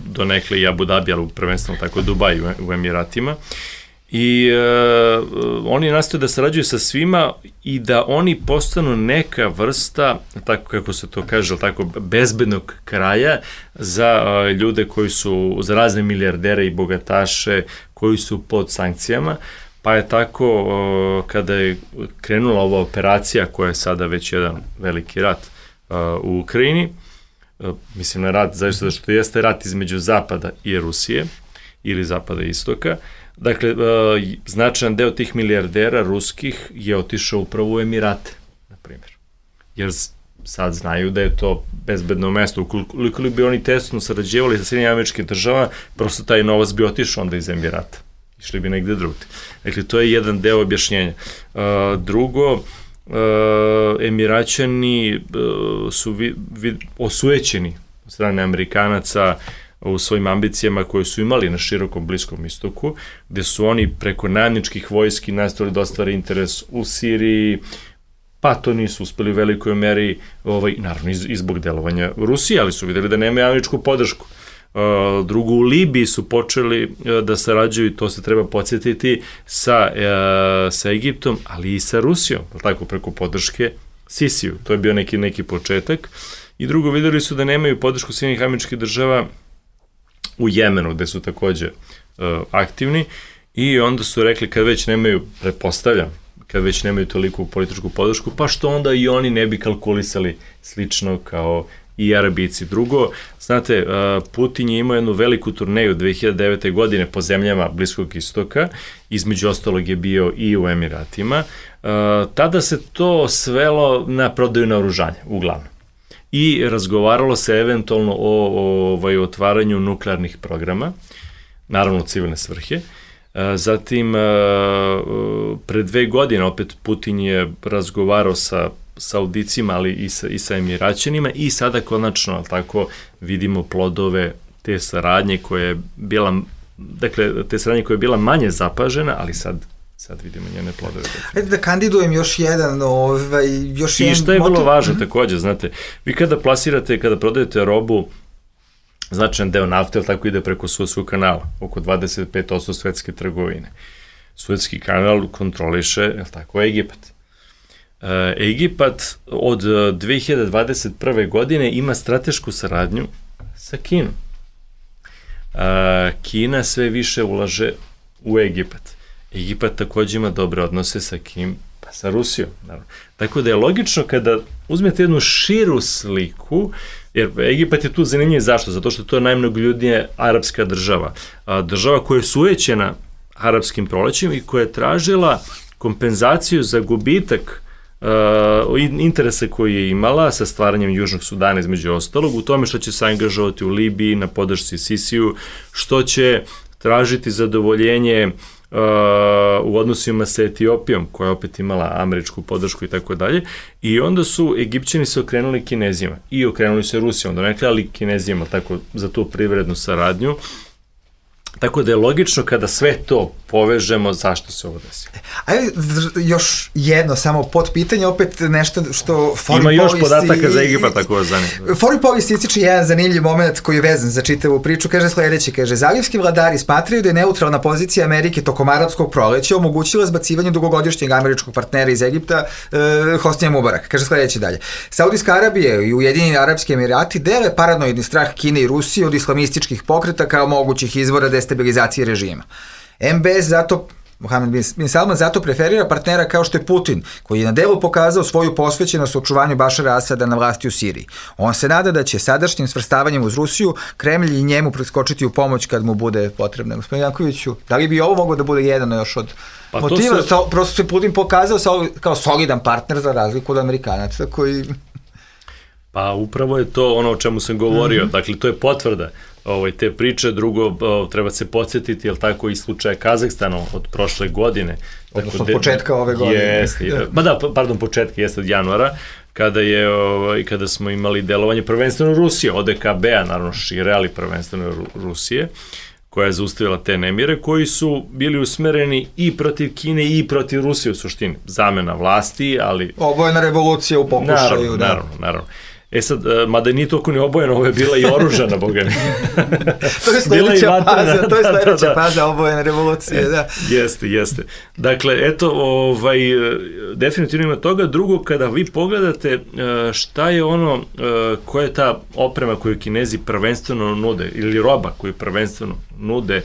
Speaker 5: donekle i Abu Dhabi, ali prvenstveno tako Dubai u Emiratima. I oni nastoje da sarađuju sa svima i da oni postanu neka vrsta, tako kako se to kaže, tako, bezbednog kraja za ljude koji su, za razne milijardere i bogataše koji su pod sankcijama, pa je tako kada je krenula ova operacija koja je sada već jedan veliki rat u Ukrajini, mislim na rat, zašto što jeste rat između Zapada i Rusije ili Zapada i Istoka. Dakle, značajan deo tih milijardera ruskih je otišao upravo u Emirate, na primjer. Jer sad znaju da je to bezbedno mesto. Ukoliko bi oni tesno sarađivali sa Sjedinjenim Američkim Državama, prosto taj novac bi otišao onda iz Emirata. Išli bi negde drugde. Dakle, to je jedan deo objašnjenja. Drugo, Emiraćani su osujećeni od strane Amerikanaca u svojim ambicijama koje su imali na širokom Bliskom istoku, gde su oni preko najamničkih vojski nastavili da ostvare interes u Siriji, pa to nisu uspeli u velikoj meri, naravno i zbog delovanja Rusije, ali su videli da nemaju američku podršku. Drugo, u Libiji su počeli da sarađuju, to se treba podsjetiti, sa Egiptom, ali i sa Rusijom, tako, preko podrške Sisiju. To je bio neki početak. I drugo, videli su da nemaju podršku Sjedinjenih Američkih Država u Jemenu, gde su takođe aktivni, i onda su rekli, kad već nemaju, pretpostavljam, kad već nemaju toliku političku podršku, pa što onda i oni ne bi kalkulisali slično kao i Arabici. Drugo, znate, Putin je imao jednu veliku turneju 2009. godine po zemljama Bliskog istoka, između ostalog je bio i u Emiratima. Tada se to svelo na prodaju naoružanja, uglavnom. I razgovaralo se eventualno o otvaranju nuklearnih programa, naravno u civilne svrhe. Zatim, pre 2 godine opet Putin je razgovarao sa Saudicima, ali i sa Emiraćanima i sada konačno tako vidimo plodove te saradnje koja je bila, dakle, te saradnje koja je bila manje zapažena, ali sad vidimo njene plodove.
Speaker 3: Ajde da kandidujem još jedan, još jedan
Speaker 5: i što je
Speaker 3: motiv.
Speaker 5: vrlo važno takođe, znate, vi kada plasirate, kada prodajete robu, značajan deo nafte, ali tako ide preko Suetskog kanala, oko 25% svetske trgovine. Suetski kanal kontroliše, je li tako, Egipat. Egipat od 2021. godine ima stratešku saradnju sa Kinom. Kina sve više ulaže u Egipat. Egipat takođe ima dobre odnose sa kim? Pa sa Rusijom, naravno. Tako da je logično kada uzmete jednu širu sliku, jer Egipat je tu zanimljiv zašto? Zato što to je najmnogoljudnija arapska država. Država koja je sujećena arapskim prolećima i koja je tražila kompenzaciju za gubitak interese koje je imala sa stvaranjem Južnog Sudana između ostalog, u tome što će se angažovati u Libiji na podršci Sisiju, što će tražiti zadovoljenje u odnosima sa Etiopijom, koja je opet imala američku podršku i tako dalje, i onda su Egipćani se okrenuli Kinezima i okrenuli se Rusijom, donekle, ali Kinezima tako za tu privrednu saradnju. Tako da je logično kada sve to povežemo zašto se ovo desi.
Speaker 3: Ajde, još jedno samo potpitanje, opet nešto što
Speaker 5: ima još podataka za Egipat, ako vas zanima.
Speaker 3: Foreign Policy ističe jedan zanimljiv moment koji je vezan za čitavu priču, kaže sledeće, kaže, zalivski vladari smatraju da je neutralna pozicija Amerike tokom arapskog proleća omogućila zbacivanje dugogodišnjeg američkog partnera iz Egipta, Hosnija Mubarak. Kaže sledeće dalje. Saudijska Arabija i Ujedinjeni Arapski Emirati dele paranoidni strah Kine i Rusije od islamističkih pokreta kao mogućih izvora destabilizacije režima. MBS zato, Mohamed bin Salman zato preferira partnera kao što je Putin, koji je na delu pokazao svoju posvećenost očuvanju Bašara Asada na vlasti u Siriji. On se nada da će sadašnjim svrstavanjem uz Rusiju Kremlj i njemu preskočiti u pomoć kad mu bude potrebno. Gospodin Jankoviću, da li bi ovo moglo da bude jedan još od motiva? Prosto se Putin pokazao kao solidan partner za razliku od Amerikanaca koji...
Speaker 5: Pa upravo je to ono o čemu sam govorio, dakle to je potvrda te priče. Drugo, treba se podsjetiti, jel tako, i slučaja Kazahstana od prošle godine.
Speaker 3: Odnosno od početka ove godine.
Speaker 5: Jeste, početka jeste od januara, kada smo imali delovanje prvenstveno Rusije, ODKB-a, naravno šire, ali prvenstveno Rusije, koja je zaustavila te nemire, koji su bili usmereni i protiv Kine i protiv Rusije u suštini. Zamena vlasti, ali...
Speaker 3: Obojena revolucija u pokušaju.
Speaker 5: Naravno. E sad, mada nije toliko ni obojena, ovo je bila i oružana, boga mi.
Speaker 3: To je sledeća faza obojene revolucije, da.
Speaker 5: Jeste. Dakle, eto, definitivno ima toga. Drugo, kada vi pogledate šta je ono, koja je ta oprema koju Kinezi prvenstveno nude, ili roba koju prvenstveno nude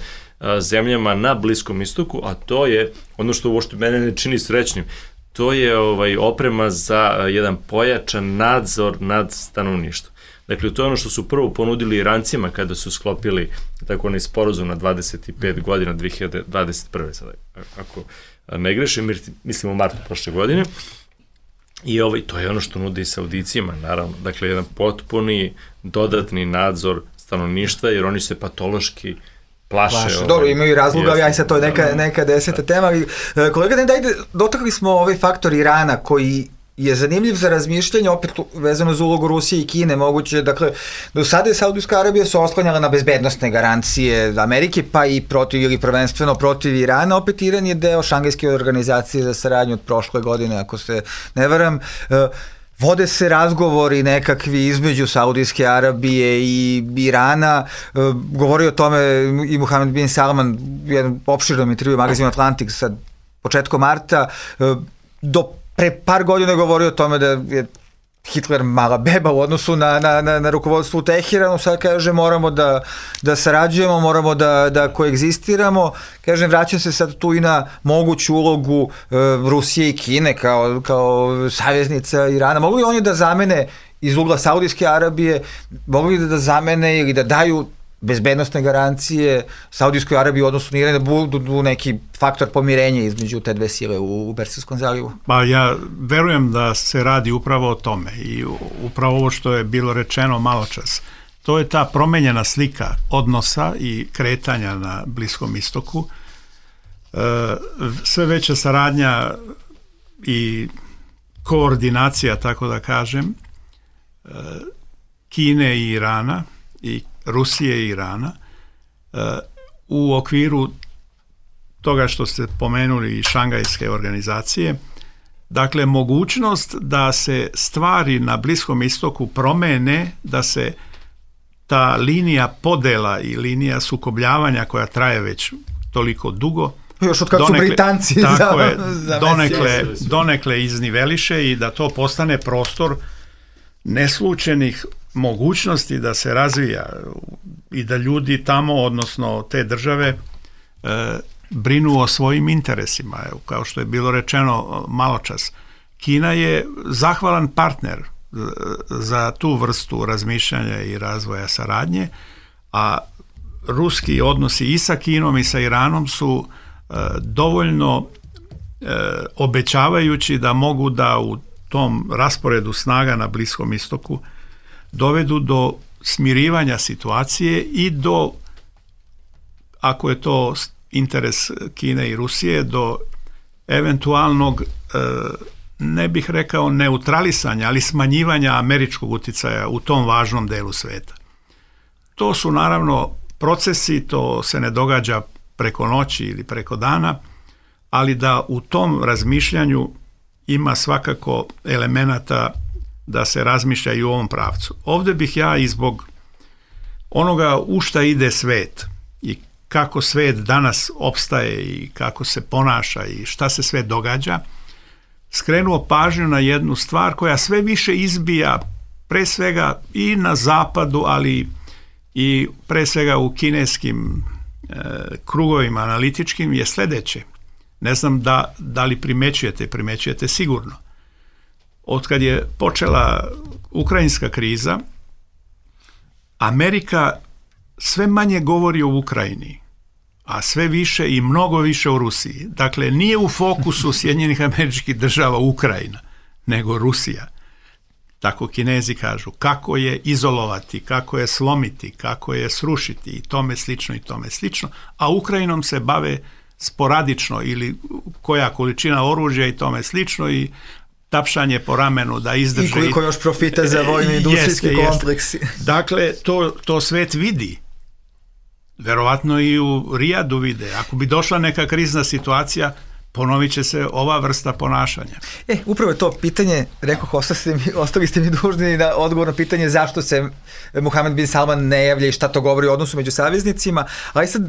Speaker 5: zemljama na Bliskom istoku, a to je ono što uopšte mene ne čini srećnim, to je oprema za jedan pojačan nadzor nad stanovništvom. Dakle, to je ono što su prvo ponudili Irancima kada su sklopili tako onaj sporazum na 25 godina 2021. sada, ako ne grešim, mislim u martu prošle godine. I to je ono što nude i Saudicima, naravno. Dakle, jedan potpuni dodatni nadzor stanovništva, jer oni se patološki plaše.
Speaker 3: Dobro, imaju razloga, ali aj sad to je neka deseta tema. Kolega, dotakli smo ovaj faktor Irana koji je zanimljiv za razmišljanje, opet vezano za ulogu Rusije i Kine, moguće, dakle, do sada je Saudijska Arabija se oslanjala na bezbednostne garancije Amerike, pa i protiv ili prvenstveno protiv Irana, opet Iran je deo Šangajske organizacije za saradnju od prošle godine, ako se ne varam. Vode se razgovori nekakvi između Saudijske Arabije i Irana, govori o tome i Mohamed bin Salman u jednom opširnom intervju u magazinu Atlantik sa početkom marta. Do pre par godina je govorio o tome da je Hitler mala beba u odnosu na rukovodstvo u Teheranu, sad kaže moramo da sarađujemo, moramo da koegzistiramo. Kažem, vraćam se sad tu i na moguću ulogu Rusije i Kine kao saveznica Irana. Mogu li oni da zamene iz ugla Saudijske Arabije mogli da zamene ili da daju bezbednostne garancije Saudijskoj Arabiji u odnosu na Iran, da budu neki faktor pomirenja između te dve sile u Persijskom zalivu?
Speaker 4: Pa ja verujem da se radi upravo o tome i upravo ovo što je bilo rečeno malo čas. To je ta promenjena slika odnosa i kretanja na Bliskom istoku. Sve veća saradnja i koordinacija, tako da kažem, Kine i Irana i Rusije i Irana u okviru toga što ste pomenuli i Šangajske organizacije. Dakle, mogućnost da se stvari na Bliskom istoku promene, da se ta linija podela i linija sukobljavanja koja traje već toliko dugo,
Speaker 3: još od kad su Britanci
Speaker 4: donekle izniveliše i da to postane prostor neslučenih mogućnosti da se razvija i da ljudi tamo, odnosno te države, brinu o svojim interesima. Evo, kao što je bilo rečeno malo čas, Kina je zahvalan partner za tu vrstu razmišljanja i razvoja saradnje, a ruski odnosi i sa Kinom i sa Iranom su dovoljno obećavajući da mogu da u tom rasporedu snaga na Bliskom istoku dovedu do smirivanja situacije i do, ako je to interes Kine i Rusije, do eventualnog, ne bih rekao neutralisanja, ali smanjivanja američkog uticaja u tom važnom delu sveta. To su naravno procesi, to se ne događa preko noći ili preko dana, ali da u tom razmišljanju ima svakako elemenata da se razmišlja i u ovom pravcu. Ovdje bih ja i zbog onoga u šta ide svet i kako svet danas opstaje i kako se ponaša i šta se sve događa, skrenuo pažnju na jednu stvar koja sve više izbija pre svega i na zapadu, ali i pre svega u kineskim krugovima analitičkim, je sljedeće. Ne znam da li primećujete sigurno. Otkad je počela ukrajinska kriza, Amerika sve manje govori o Ukrajini, a sve više i mnogo više o Rusiji. Dakle, nije u fokusu Sjedinjenih Američkih Država Ukrajina, nego Rusija. Tako Kinezi kažu, kako je izolovati, kako je slomiti, kako je srušiti i tome slično, a Ukrajinom se bave sporadično ili koja količina oružja i tome slično i tapšanje po ramenu da izdrže.
Speaker 3: I koliko još profita za vojni industrijski kompleksi.
Speaker 4: Dakle, to svet vidi. Verovatno i u Rijadu vide. Ako bi došla neka krizna situacija, ponovit će se ova vrsta ponašanja.
Speaker 3: Upravo je to pitanje, rekoh, ostali ste mi dužni na odgovor na pitanje zašto se Mohamed bin Salman ne javlja i šta to govori o odnosu među saveznicima, ali sad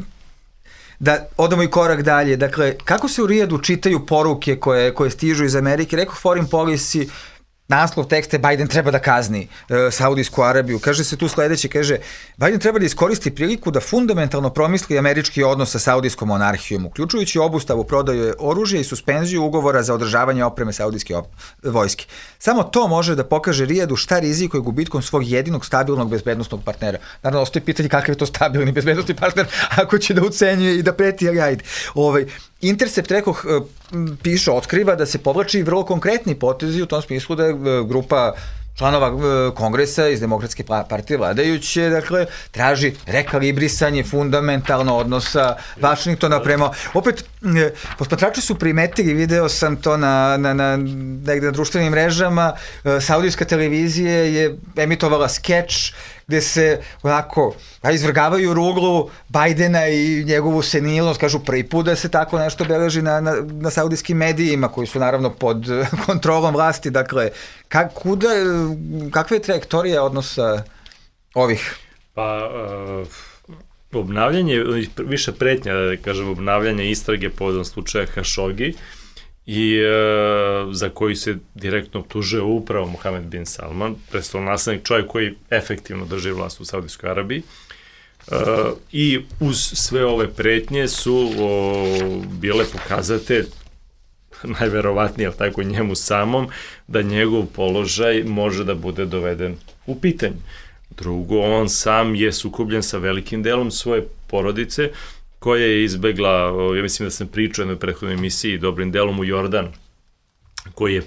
Speaker 3: da odamo i korak dalje. Dakle, kako se u Rijadu čitaju poruke koje stižu iz Amerike? Rekoh, foreign policy, naslov tekste, Biden treba da kazni Saudijsku Arabiju. Kaže se tu sledeće, kaže, Biden treba da iskoristi priliku da fundamentalno promisli američki odnos sa saudijskom monarhijom, uključujući obustavu prodaje oružja i suspenziju ugovora za održavanje opreme saudijske vojske. Samo to može da pokaže Rijadu šta rizikuje gubitkom svog jedinog stabilnog bezbednostnog partnera. Naravno, ostaje pitanje kakav je to stabilni bezbednostni partner ako će da ucenjuje i da preti, ali ajde. Intercept, rekoh, piše, otkriva da se povlači vrlo konkretni potezi u tom smislu da je grupa članova kongresa iz Demokratske partije vladajuće, dakle, traži rekalibrisanje fundamentalno odnosa Vašingtona prema... Opet, posmatrači su primetili, video sam to negde na društvenim mrežama, saudijska televizija je emitovala skeč gde se onako izvrgavaju ruglu Bajdena i njegovu senilnost, kažu prvi put da se tako nešto beleži na saudijskim medijima koji su naravno pod kontrolom vlasti. Dakle, kakva je trajektorija odnosa ovih?
Speaker 5: Pa, obnavljanje, više pretnja, da kažem, obnavljanje istrage povodom slučaja Hašogi i za koji se direktno optužuje upravo Mohamed bin Salman, prestolonaslednik, čovjek koji efektivno drži vlast u Saudijskoj Arabiji. I uz sve ove pretnje su bile pokazatelj najverovatnije, tako njemu samom, da njegov položaj može da bude doveden u pitanje. Drugo, on sam je sukobljen sa velikim delom svoje porodice, koja je izbegla, ja mislim da sam pričao u jednoj prethodnoj emisiji, dobrim delom u Jordan, koji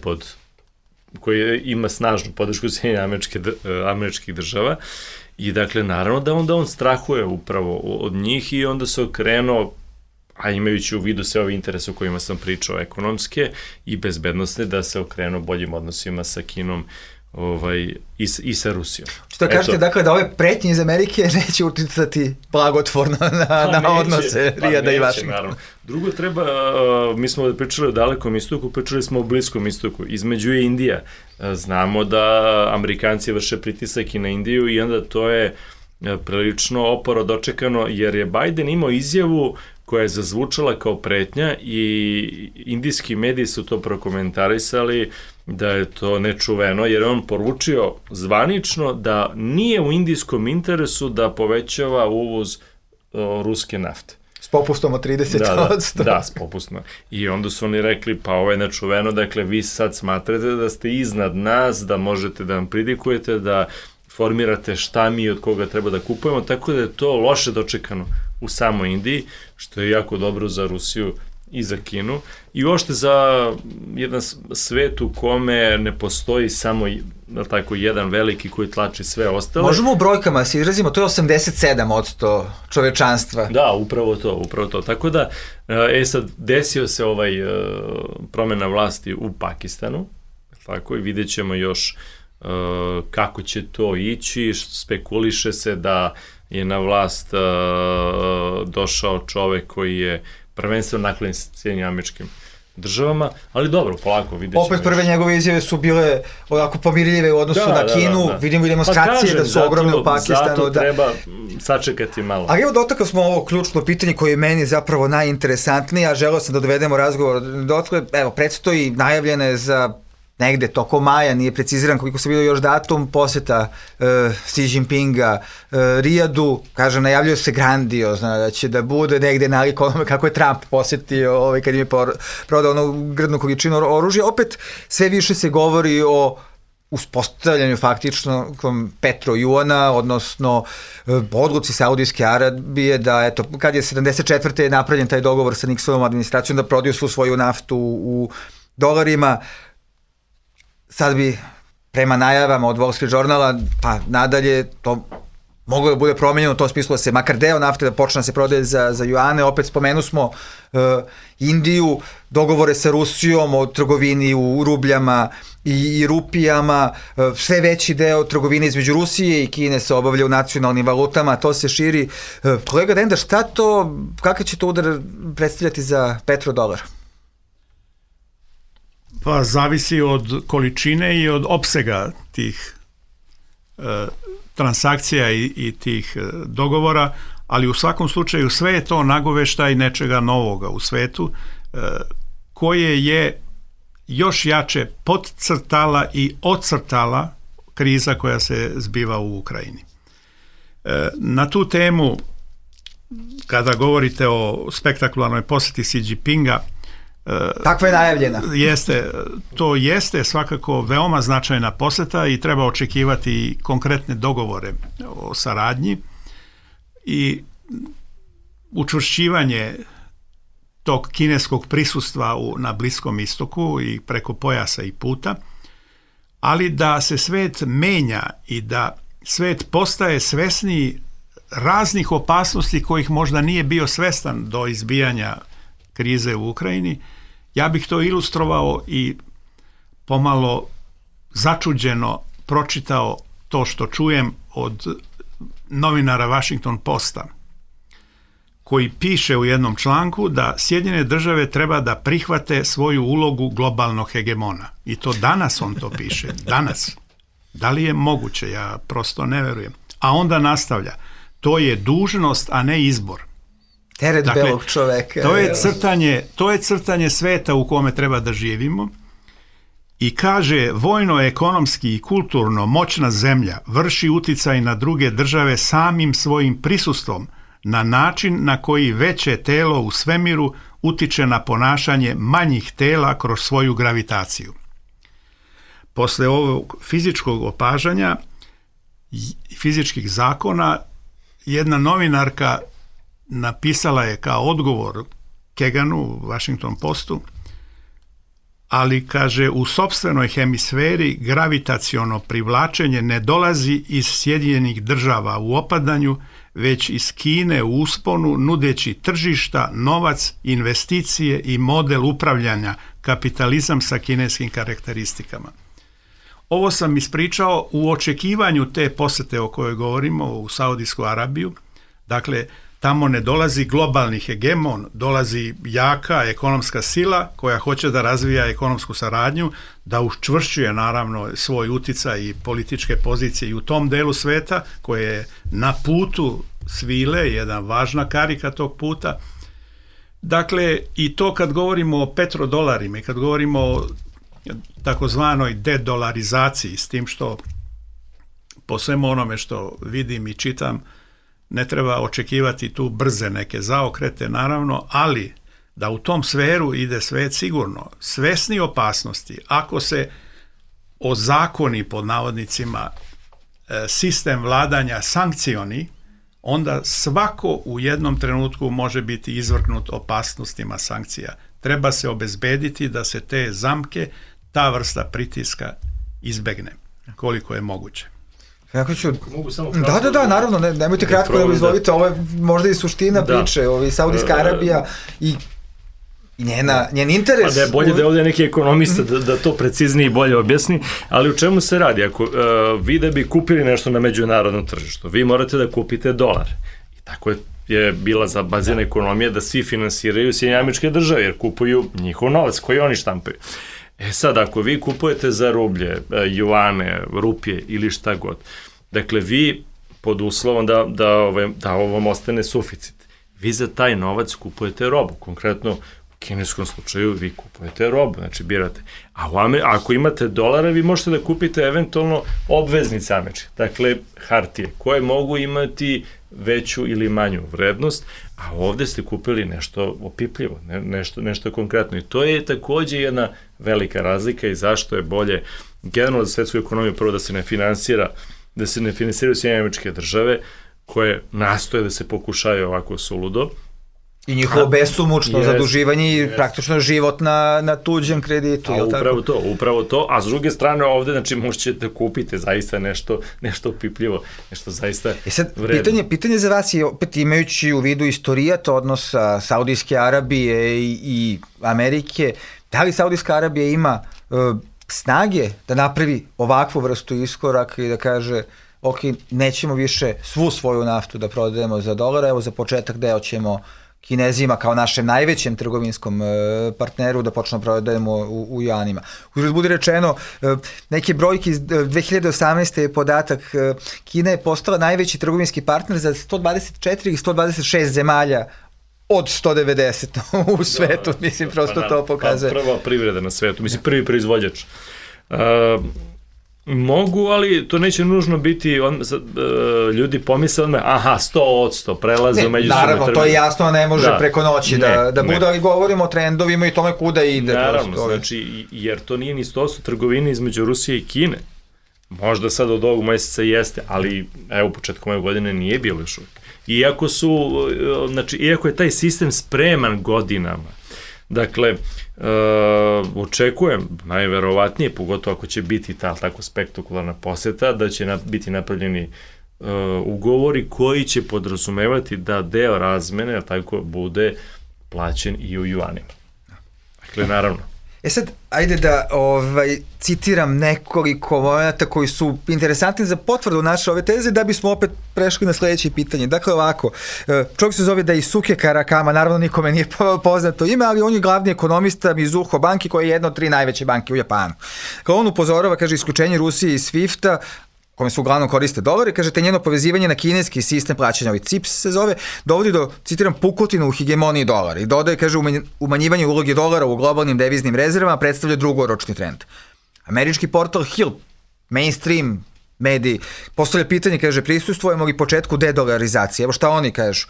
Speaker 5: ima snažnu podršku Sjedinjenih Američkih Država, i dakle, naravno da onda on strahuje upravo od njih i onda se okrenuo, a imajući u vidu sve ove interese o kojima sam pričao, ekonomske i bezbednostne, da se okrenuo boljim odnosima sa Kinom i sa Rusijom.
Speaker 3: Što kažete, dakle, da ove pretnje iz Amerike neće uticati blagotvorno na odnose Rijada i Vašingtona?
Speaker 5: Drugo treba, mi smo pričali o Dalekom istoku, pričali smo o Bliskom istoku, između je Indija. Znamo da Amerikanci vrše pritisak i na Indiju i onda to je prilično oporo dočekano, jer je Biden imao izjavu koja je zazvučala kao pretnja i indijski mediji su to prokomentarisali da je to nečuveno, jer je on poručio zvanično da nije u indijskom interesu da povećava uvoz ruske nafte.
Speaker 3: S popustom od 30%.
Speaker 5: Da, s popustom. I onda su oni rekli, pa ovo je nečuveno, dakle vi sad smatrate da ste iznad nas, da možete da nam pridikujete, da formirate šta mi od koga treba da kupujemo, tako da je to loše dočekano u samoj Indiji, što je jako dobro za Rusiju i za Kinu i uopšte za jedan svet u kome ne postoji samo tako jedan veliki koji tlači sve ostale.
Speaker 3: Možemo u brojkama se izrazimo, to je 87% čovečanstva.
Speaker 5: Da, upravo to. Tako da, sad desio se promena vlasti u Pakistanu, tako i vidjet ćemo još kako će to ići, spekuliše se da je na vlast došao čovek koji je prvenstveno naklonjen Sjedinjenim Američkim Državama, ali dobro, polako vidjet ćemo.
Speaker 3: Opet prve njegove izjave su bile onako pomirljive u odnosu na Kinu, vidimo i demonstracije da su ogromne u Pakistanu.
Speaker 5: Zato treba sačekati malo.
Speaker 3: Ali evo dotakli smo ovo ključno pitanje koje je meni zapravo najinteresantnije, a želeo sam da dovedemo razgovor dotle. Evo, predstoji najavljene za negde tokom maja, nije preciziran koliko se vidio još datum, poseta Xi Jinpinga Rijadu, kaže, najavljaju se grandiozno, da će da bude negde nalik onome kako je Trump posetio kad im je prodao onu grdnu količinu oružja. Opet sve više se govori o uspostavljanju faktično petrojuana, odnosno odluci Saudijske Arabije da, eto, kad je 74. napravljen taj dogovor sa Nixonovom administracijom da prodaju svu svoju naftu u dolarima. Sad bi, prema najavama od Wall Street Journala, pa nadalje, to moglo da bude promenjeno u tom smislu da se makar deo nafte da počne da se prodaje za juane. Opet spomenu smo Indiju, dogovore sa Rusijom o trgovini u rubljama i rupijama, sve veći deo trgovine između Rusije i Kine se obavlja u nacionalnim valutama, to se širi. Kolega Denda, šta to, kakav će to udar predstavljati za petrodolar?
Speaker 4: Pa zavisi od količine i od opsega tih transakcija i tih dogovora, ali u svakom slučaju sve je to nagoveštaj nečega novoga u svetu koje je još jače podcrtala i ocrtala kriza koja se zbiva u Ukrajini. Na tu temu, kada govorite o spektakularnoj poseti Xi Jinpinga,
Speaker 3: takva je najavljena.
Speaker 4: To jeste svakako veoma značajna poseta i treba očekivati konkretne dogovore o saradnji i učvršćivanje tog kineskog prisustva na Bliskom istoku i preko pojasa i puta, ali da se svet menja i da svet postaje svesniji raznih opasnosti kojih možda nije bio svestan do izbijanja krize u Ukrajini. Ja bih to ilustrovao i pomalo začuđeno pročitao to što čujem od novinara Washington Posta, koji piše u jednom članku da Sjedinjene Države treba da prihvate svoju ulogu globalnog hegemona. I to danas on to piše. Danas. Da li je moguće? Ja prosto ne verujem. A onda nastavlja. To je dužnost, a ne izbor.
Speaker 3: Teret belog čoveka.
Speaker 4: To je crtanje sveta u kome treba da živimo i kaže, vojno, ekonomski i kulturno moćna zemlja vrši uticaj na druge države samim svojim prisustvom na način na koji veće telo u svemiru utiče na ponašanje manjih tela kroz svoju gravitaciju. Posle ovog fizičkog opažanja fizičkih zakona, jedna novinarka napisala je kao odgovor Keganu u Washington Postu, ali kaže u sopstvenoj hemisferi gravitaciono privlačenje ne dolazi iz Sjedinjenih Država u opadanju, već iz Kine u usponu, nudeći tržišta, novac, investicije i model upravljanja, kapitalizam sa kineskim karakteristikama. Ovo sam ispričao u očekivanju te posete o kojoj govorimo u Saudijsku Arabiju. Dakle, tamo ne dolazi globalni hegemon, dolazi jaka ekonomska sila koja hoće da razvija ekonomsku saradnju, da učvršćuje naravno svoj uticaj i političke pozicije i u tom delu sveta koje je na putu svile, jedna važna karika tog puta. Dakle, i to kad govorimo o petrodolarima i kad govorimo o takozvanoj dedolarizaciji, s tim što po svemu onome što vidim i čitam, ne treba očekivati tu brze neke zaokrete, naravno, ali da u tom sferu ide svet sigurno. Svesni opasnosti, ako se ozakoni pod navodnicima sistem vladanja sankcioni, onda svako u jednom trenutku može biti izvrgnut opasnostima sankcija. Treba se obezbediti da se te zamke, ta vrsta pritiska izbegne koliko je moguće.
Speaker 3: Kako ću... Da, naravno, nemojte kratko da izvolite, ovo je možda i suština priče, Saudijska Arabija i njen interes.
Speaker 5: Pa da je bolje da je ovdje neki ekonomista da to preciznije i bolje objasni, ali u čemu se radi? Ako vi da bi kupili nešto na međunarodnom tržištu, vi morate da kupite dolar. I tako je bila zabazena ekonomija da svi finansiraju Sjedinjene Američke Države, jer kupuju njihov novac koji oni štampaju. Sad, ako vi kupujete za rublje, juane, rupije ili šta god, dakle, vi pod uslovom da ovom ostane suficit, vi za taj novac kupujete robu. Konkretno, u kineskom slučaju vi kupujete robu, znači birate. A ako imate dolara, vi možete da kupite eventualno obveznice američke, dakle, hartije, koje mogu imati veću ili manju vrednost, a ovde ste kupili nešto opipljivo, nešto konkretno. I to je takođe jedna velika razlika i zašto je bolje generalno za svetsku ekonomiju prvo da se ne finansiraju Sjedinjene Američke Države koje nastoje da se pokušaju ovako suludo.
Speaker 3: I njihovo besomučno zaduživanje i praktično život na tuđem kreditu.
Speaker 5: Upravo to, a s druge strane ovde, znači, možete da kupite zaista nešto opipljivo, nešto zaista vredno.
Speaker 3: Pitanje za vas je, opet imajući u vidu istorijat odnosa Saudijske Arabije i Amerike, da li Saudijska Arabija ima snage da napravi ovakvu vrstu iskoraka i da kaže, ok, nećemo više svu svoju naftu da prodajemo za dolara, evo za početak deo ćemo Kinezima kao našem najvećem trgovinskom partneru da počnemo prodajemo u juanima. Uzgled budi rečeno, neke brojke iz 2018. je podatak, Kina je postala najveći trgovinski partner za 124 i 126 zemalja od 190 u svetu, mislim, prosto to pokazuje.
Speaker 5: Prva privreda na svetu, mislim, prvi proizvođač. Mogu, ali to neće nužno biti, ljudi pomisle odmah, 100% prelaze u međusobne trgovine.
Speaker 3: Naravno, to je jasno, ne može preko noći da bude, ali govorimo o trendovima i tome kuda ide.
Speaker 5: Naravno, znači, jer to nije ni 100% trgovine između Rusije i Kine. Možda sad od ovog meseca jeste, ali evo početkom ove godine nije bilo još uvijek. Iako je taj sistem spreman godinama, dakle, očekujem, najverovatnije, pogotovo ako će biti tako spektakularna poseta, da će biti napravljeni ugovori koji će podrazumevati da deo razmene tako bude plaćen i u juanima. Dakle, naravno.
Speaker 3: Sad, ajde da citiram nekoliko momenata koji su interesantni za potvrdu naše ove teze, da bismo opet prešli na sledeće pitanje. Dakle, ovako, čovjek se zove Daisuke Karakama, naravno nikome nije poznato ime, ali on je glavni ekonomista Mizuho banke, koja je jedna od 3 najveće banke u Japanu. Kao on upozorava, kaže, isključenje Rusije iz SWIFT-a, kome se uglavnom koriste dolari, kaže, te njeno povezivanje na kineski sistem plaćanja, ovaj CIPS se zove, dovodi do, citiram, pukotinu u hegemoniji dolara i dodaje, kaže, umanjivanje uloge dolara u globalnim deviznim rezervama predstavlja drugoročni trend. Američki portal Hill, mainstream mediji, postavlja pitanje, kaže, prisustvujemo li početku dedolarizacije? Evo šta oni kažu.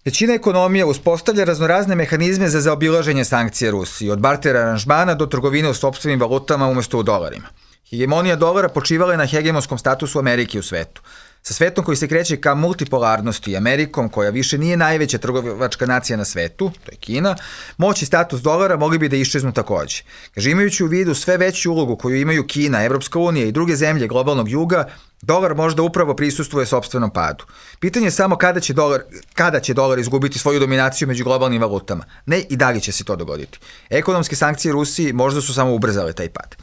Speaker 3: Većina ekonomija uspostavlja raznorazne mehanizme za zaobilaženje sankcije Rusiji, od barter aranžmana do trgovine u sopstvenim valutama umesto u dolarima. Hegemonija dolara počivala je na hegemonskom statusu Amerike u svetu. Sa svetom koji se kreće ka multipolarnosti i Amerikom, koja više nije najveća trgovačka nacija na svetu, to je Kina, moć i status dolara mogli bi da iščeznu takođe. Kaže, imajući u vidu sve veću ulogu koju imaju Kina, Evropska unija i druge zemlje globalnog juga, dolar možda upravo prisustvuje sopstvenom padu. Pitanje je samo kada će dolar izgubiti svoju dominaciju među globalnim valutama. Ne i da li će se to dogoditi. Ekonomske sankcije Rusiji možda su samo ubrzale taj pad.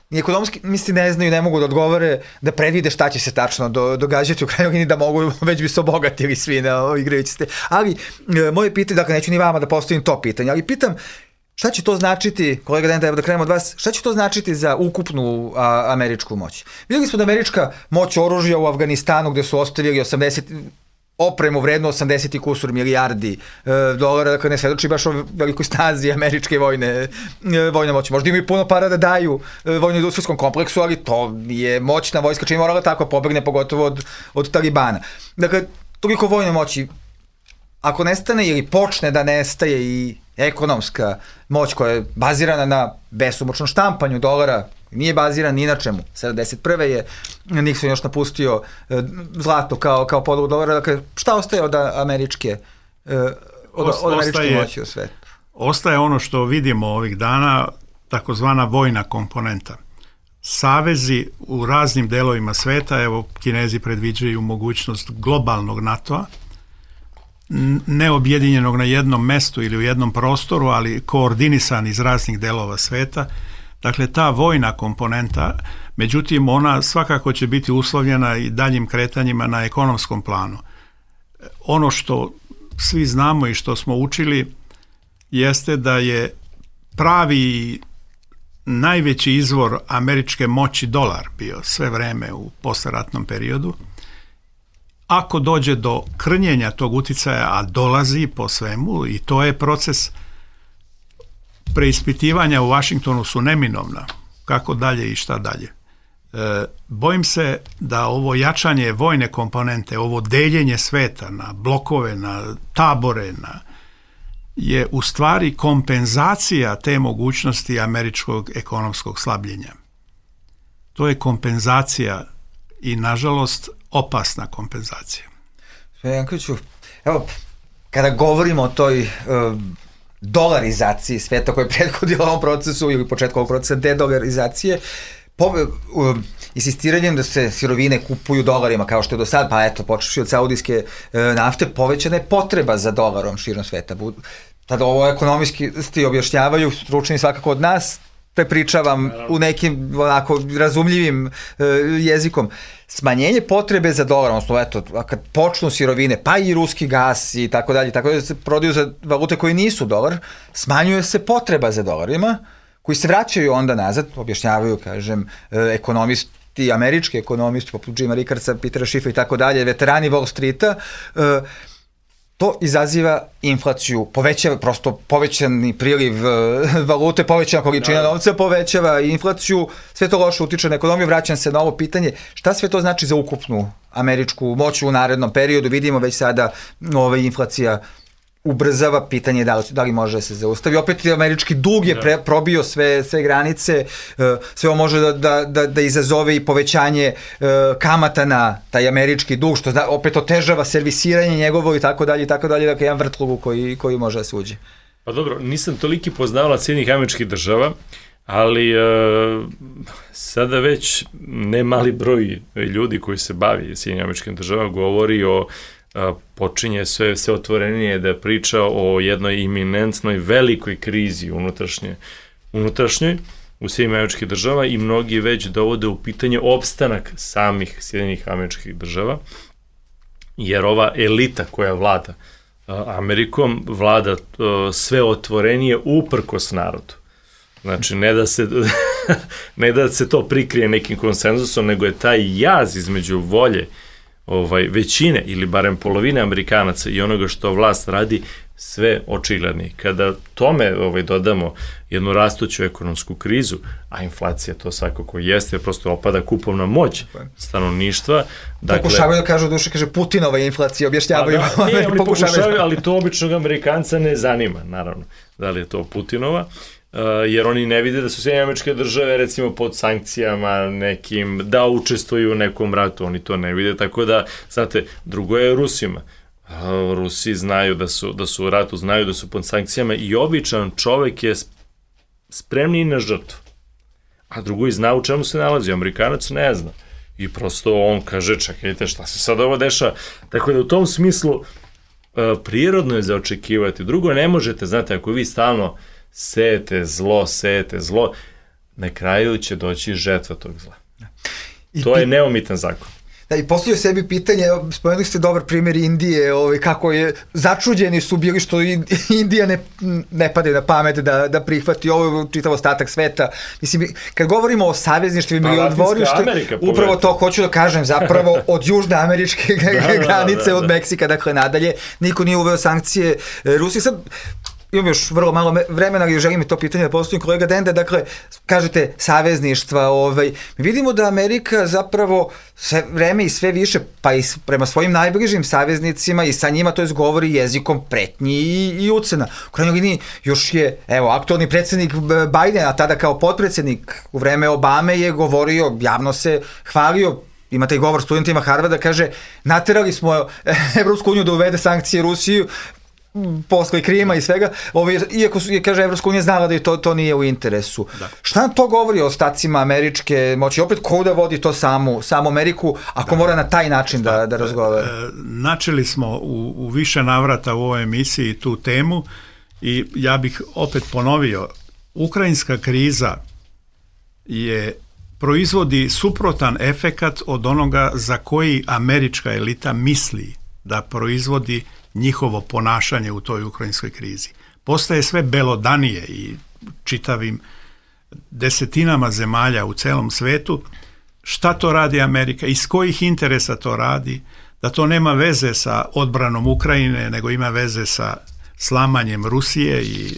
Speaker 3: Ni ekonomski misli ne znaju, ne mogu da odgovore, da predvide šta će se tačno događati u krajnjoj liniji, da mogu, već bi se obogatili svi na igrajući se. Ali moje pitanje, dakle neću ni vama da postavim to pitanje, ali pitam šta će to značiti, kolega Denda, evo da krenemo od vas, šta će to značiti za ukupnu američku moć? Vidjeli smo da američka moć oružja u Afganistanu, gde su ostavili opremu vredno 80 i kusur milijardi dolara, dakle ne svedoči baš o velikoj snazi američke vojne moći. Možda imaju puno para da daju vojno-industrijskom kompleksu, ali to je moćna vojska, čim morala tako pobegne, pogotovo od Talibana. Dakle, toliko vojne moći, ako nestane ili počne da nestaje i ekonomska moć koja je bazirana na besomučnom štampanju dolara, nije baziran ni na čemu. 71. je Nixon još napustio zlato kao podlogu dolara. Dakle, šta ostaje od američke moći u svetu?
Speaker 4: Ostaje ono što vidimo ovih dana, takozvana vojna komponenta. Savezi u raznim delovima sveta, evo Kinezi predviđaju mogućnost globalnog NATO-a, neobjedinjenog na jednom mestu ili u jednom prostoru, ali koordinisan iz raznih delova sveta. Dakle, ta vojna komponenta, međutim, ona svakako će biti uslovljena i daljim kretanjima na ekonomskom planu. Ono što svi znamo i što smo učili jeste da je pravi najveći izvor američke moći dolar bio sve vreme u posleratnom periodu. Ako dođe do krnjenja tog uticaja, a dolazi po svemu, i to je proces, preispitivanja u Vašingtonu su neminovna, kako dalje i šta dalje. Bojim se da ovo jačanje vojne komponente, ovo deljenje sveta na blokove, na tabore, je u stvari kompenzacija te mogućnosti američkog ekonomskog slabljenja. To je kompenzacija i, nažalost, opasna kompenzacija.
Speaker 3: Jankoviću, evo, kada govorimo o toj dolarizaciji sveta koja je prethodila ovom procesu ili početku ovog procesa dedolarizacije, insistiranjem da se sirovine kupuju dolarima kao što je do sad, pa eto, počevši od saudijske nafte, povećana je potreba za dolarom širom sveta. Tada ovo ekonomisti objašnjavaju, stručni svakako od nas, prepričavam u nekim onako razumljivim jezikom. Smanjenje potrebe za dolar, odnosno eto, kad počnu sirovine, pa i ruski gas i tako dalje se prodaju za valute koje nisu dolar, smanjuje se potreba za dolarima, koji se vraćaju onda nazad, objašnjavaju, kažem, ekonomisti, američki ekonomisti, poput Jima Rickardsa, Petera Schifa i tako dalje, veterani Wall Streeta, to izaziva inflaciju, povećava prosto povećani priliv valute, povećana količina novca, povećava inflaciju, sve to loše utiče na ekonomiju. Vraćam se na ovo pitanje, šta sve to znači za ukupnu američku moć u narednom periodu? Vidimo već sada inflacija ubrzava, pitanje da li može da se zaustavi. Opet američki dug je probio sve granice, sve ovo može da izazove i povećanje kamata na taj američki dug, što opet otežava servisiranje njegovo i tako dalje, dakle jedan vrtlog koji može da se uđe.
Speaker 5: Pa dobro, nisam toliki poznavalac Sjedinjenih Američkih Država, ali sada već ne mali broj ljudi koji se bavi Sjedinjenim Američkim Državama govori o počinje sve otvorenije da priča o jednoj iminentnoj velikoj krizi unutrašnjoj u Sjedinjenim Američkih Država i mnogi već dovode u pitanje opstanak samih Sjedinjenih Američkih Država, jer ova elita koja vlada Amerikom vlada sve otvorenije uprkos narodu. Znači, ne da se to prikrije nekim konsenzusom, nego je taj jaz između volje većine ili barem polovine Amerikanaca i onoga što vlast radi sve očigledni. Kada tome dodamo jednu rastuću ekonomsku krizu, a inflacija to svakako jeste, prosto opada kupovna moć stanovništva.
Speaker 3: Dakle, pokušavaju da kažu, duše kaže Putinova inflacija, objašnjavaju.
Speaker 5: Nije, oni pokušavaju, ali to običnog Amerikanca ne zanima, naravno, da li je to Putinova, jer oni ne vide da su Sjedinjene Američke Države recimo pod sankcijama nekim, da učestvuju u nekom ratu, oni to ne vide, tako da, znate, drugo je Rusima. Rusi znaju da su u ratu, znaju da su pod sankcijama i običan čovek je spremni na žrtvu. A drugo i zna u čemu se nalazi, Amerikanac ne zna. I prosto on kaže, čekajte, šta se sad ovo dešava? Tako da u tom smislu prirodno je za očekivati. Drugo, ne možete, znate, ako vi stalno sejete zlo, na kraju će doći žetva tog zla. To je neumitan zakon.
Speaker 3: Da, i postavio sebi pitanje, spomenuli ste dobar primjer Indije, kako je, začuđeni su bili što Indija ne pade na pamet da prihvati ovo čitav ostatak sveta. Mislim, kad govorimo o savezništvima i o dvorištu, upravo to hoću da kažem, zapravo od južne američke granice, od Meksika, dakle nadalje, niko nije uveo sankcije Rusiji. Sad, imam još vrlo malo vremena i želim i to pitanje da postavim kolega Dende, dakle, kažete savezništva, mi vidimo da Amerika zapravo sve vreme i sve više, pa i prema svojim najbližim saveznicima i sa njima, to jest govori jezikom pretnji i ucena. U krajnjoj liniji još je, aktualni predsjednik Biden, a tada kao potpredsjednik u vreme Obame je govorio, javno se hvalio, ima taj govor studentima Harvarda, kaže, naterali smo Evropsku uniju da uvede sankcije Rusiju, posle Krima i svega, iako je, kaže, Evropska unija znala da je to nije u interesu. Da. Šta nam to govori o ostacima američke moći? Opet, ko da vodi to samu Ameriku, ako mora na taj način da razgovara?
Speaker 4: Načeli smo u više navrata u ovoj emisiji tu temu i ja bih opet ponovio, ukrajinska kriza proizvodi suprotan efekat od onoga za koji američka elita misli da proizvodi njihovo ponašanje u toj ukrajinskoj krizi. Postaje sve belodanije i čitavim desetinama zemalja u celom svetu. Šta to radi Amerika? Iz kojih interesa to radi? Da to nema veze sa odbranom Ukrajine, nego ima veze sa slamanjem Rusije i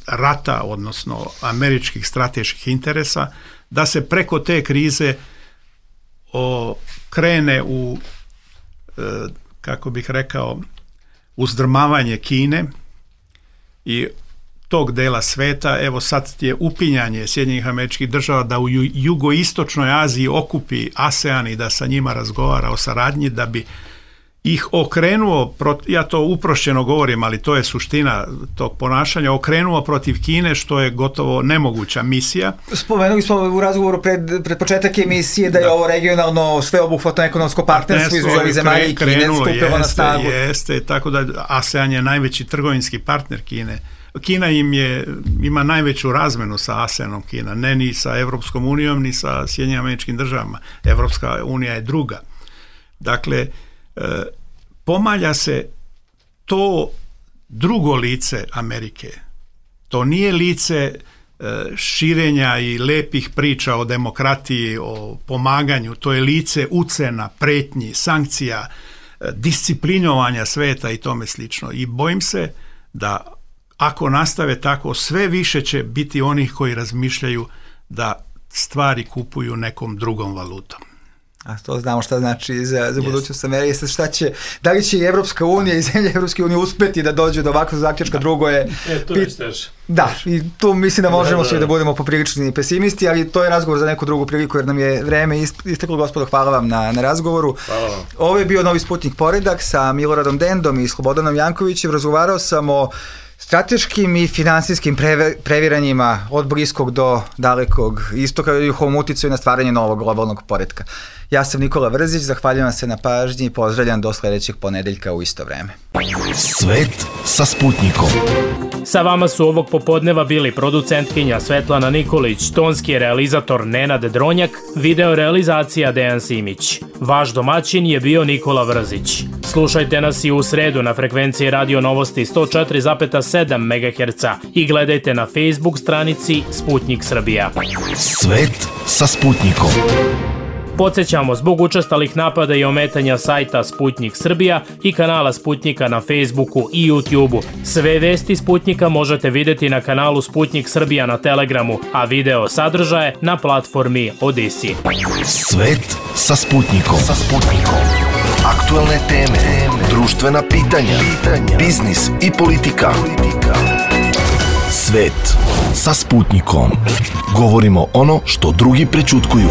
Speaker 4: rata, odnosno američkih strateških interesa, da se preko te krize krene u, kako bih rekao, uzdrmavanje Kine i tog dela sveta. Evo sad je upinjanje Sjedinjenih Američkih Država da u jugoistočnoj Aziji okupi ASEAN i da sa njima razgovara o saradnji, da bi ih okrenuo, ja to uprošćeno govorim, ali to je suština tog ponašanja, okrenuo protiv Kine, što je gotovo nemoguća misija.
Speaker 3: Spomenuli smo u razgovoru pred početak emisije da je ovo regionalno sveobuhvatno ekonomsko partnerstvo između ovih zemalja i Kine stupilo na snagu.
Speaker 4: Jeste, tako da ASEAN je najveći trgovinski partner Kine. Kina ima najveću razmenu sa ASEANom, Kina, ne ni sa Evropskom unijom, ni sa Sjedinjenim Američkim Državama. Evropska unija je druga. Dakle, pomalja se to drugo lice Amerike. To nije lice širenja i lepih priča o demokratiji, o pomaganju. To je lice ucena, pretnji, sankcija, disciplinovanja sveta i tome slično. I bojim se da ako nastave tako, sve više će biti onih koji razmišljaju da stvari kupuju nekom drugom valutom.
Speaker 3: A to znamo šta znači za budućnost Amerike. Da li će i Evropska unija i zemlje Evropske unije uspeti da dođu do ovakvog zaključka, drugo je...
Speaker 5: to je steže.
Speaker 3: Da, i tu mislim da možemo svi da budemo poprilični pesimisti, ali to je razgovor za neku drugu priliku, jer nam je vreme isteklo. Gospodo, hvala vam na razgovoru.
Speaker 5: Hvala vam.
Speaker 3: Ovo je bio Novi Sputnik Poredak sa Miloradom Dendom i Slobodanom Jankovićem. Razgovarao sam o strateškim i finansijskim previranjima od bliskog do dalekog istoka i njihovom uticaju na stvaranje novog globalnog poretka. Ja sam Nikola Vrzić, zahvaljujem se na pažnji i pozdravljam do sledećeg ponedeljka u isto vreme.
Speaker 1: Svet sa Sputnikom.
Speaker 2: Sa vama su ovog popodneva bili producentkinja Svetlana Nikolić, tonski realizator Nenad Dronjak, video realizacija Dejan Simić. Vaš domaćin je bio Nikola Vrzić. Slušajte nas i u sredu na frekvenciji Radio Novosti 104,7 MHz i gledajte na Facebook stranici Sputnik Srbija.
Speaker 1: Svet sa Sputnikom.
Speaker 2: Podsjećamo, zbog učestalih napada i ometanja sajta Sputnik Srbija i kanala Sputnika na Facebooku i YouTubeu. Sve vesti Sputnika možete vidjeti na kanalu Sputnik Srbija na Telegramu, a video sadržaje na platformi Odisi.
Speaker 1: Svet sa Sputnikom. Aktualne teme, društvena pitanja, biznis i politika. Svet sa Sputnikom. Govorimo ono što drugi prećutkuju.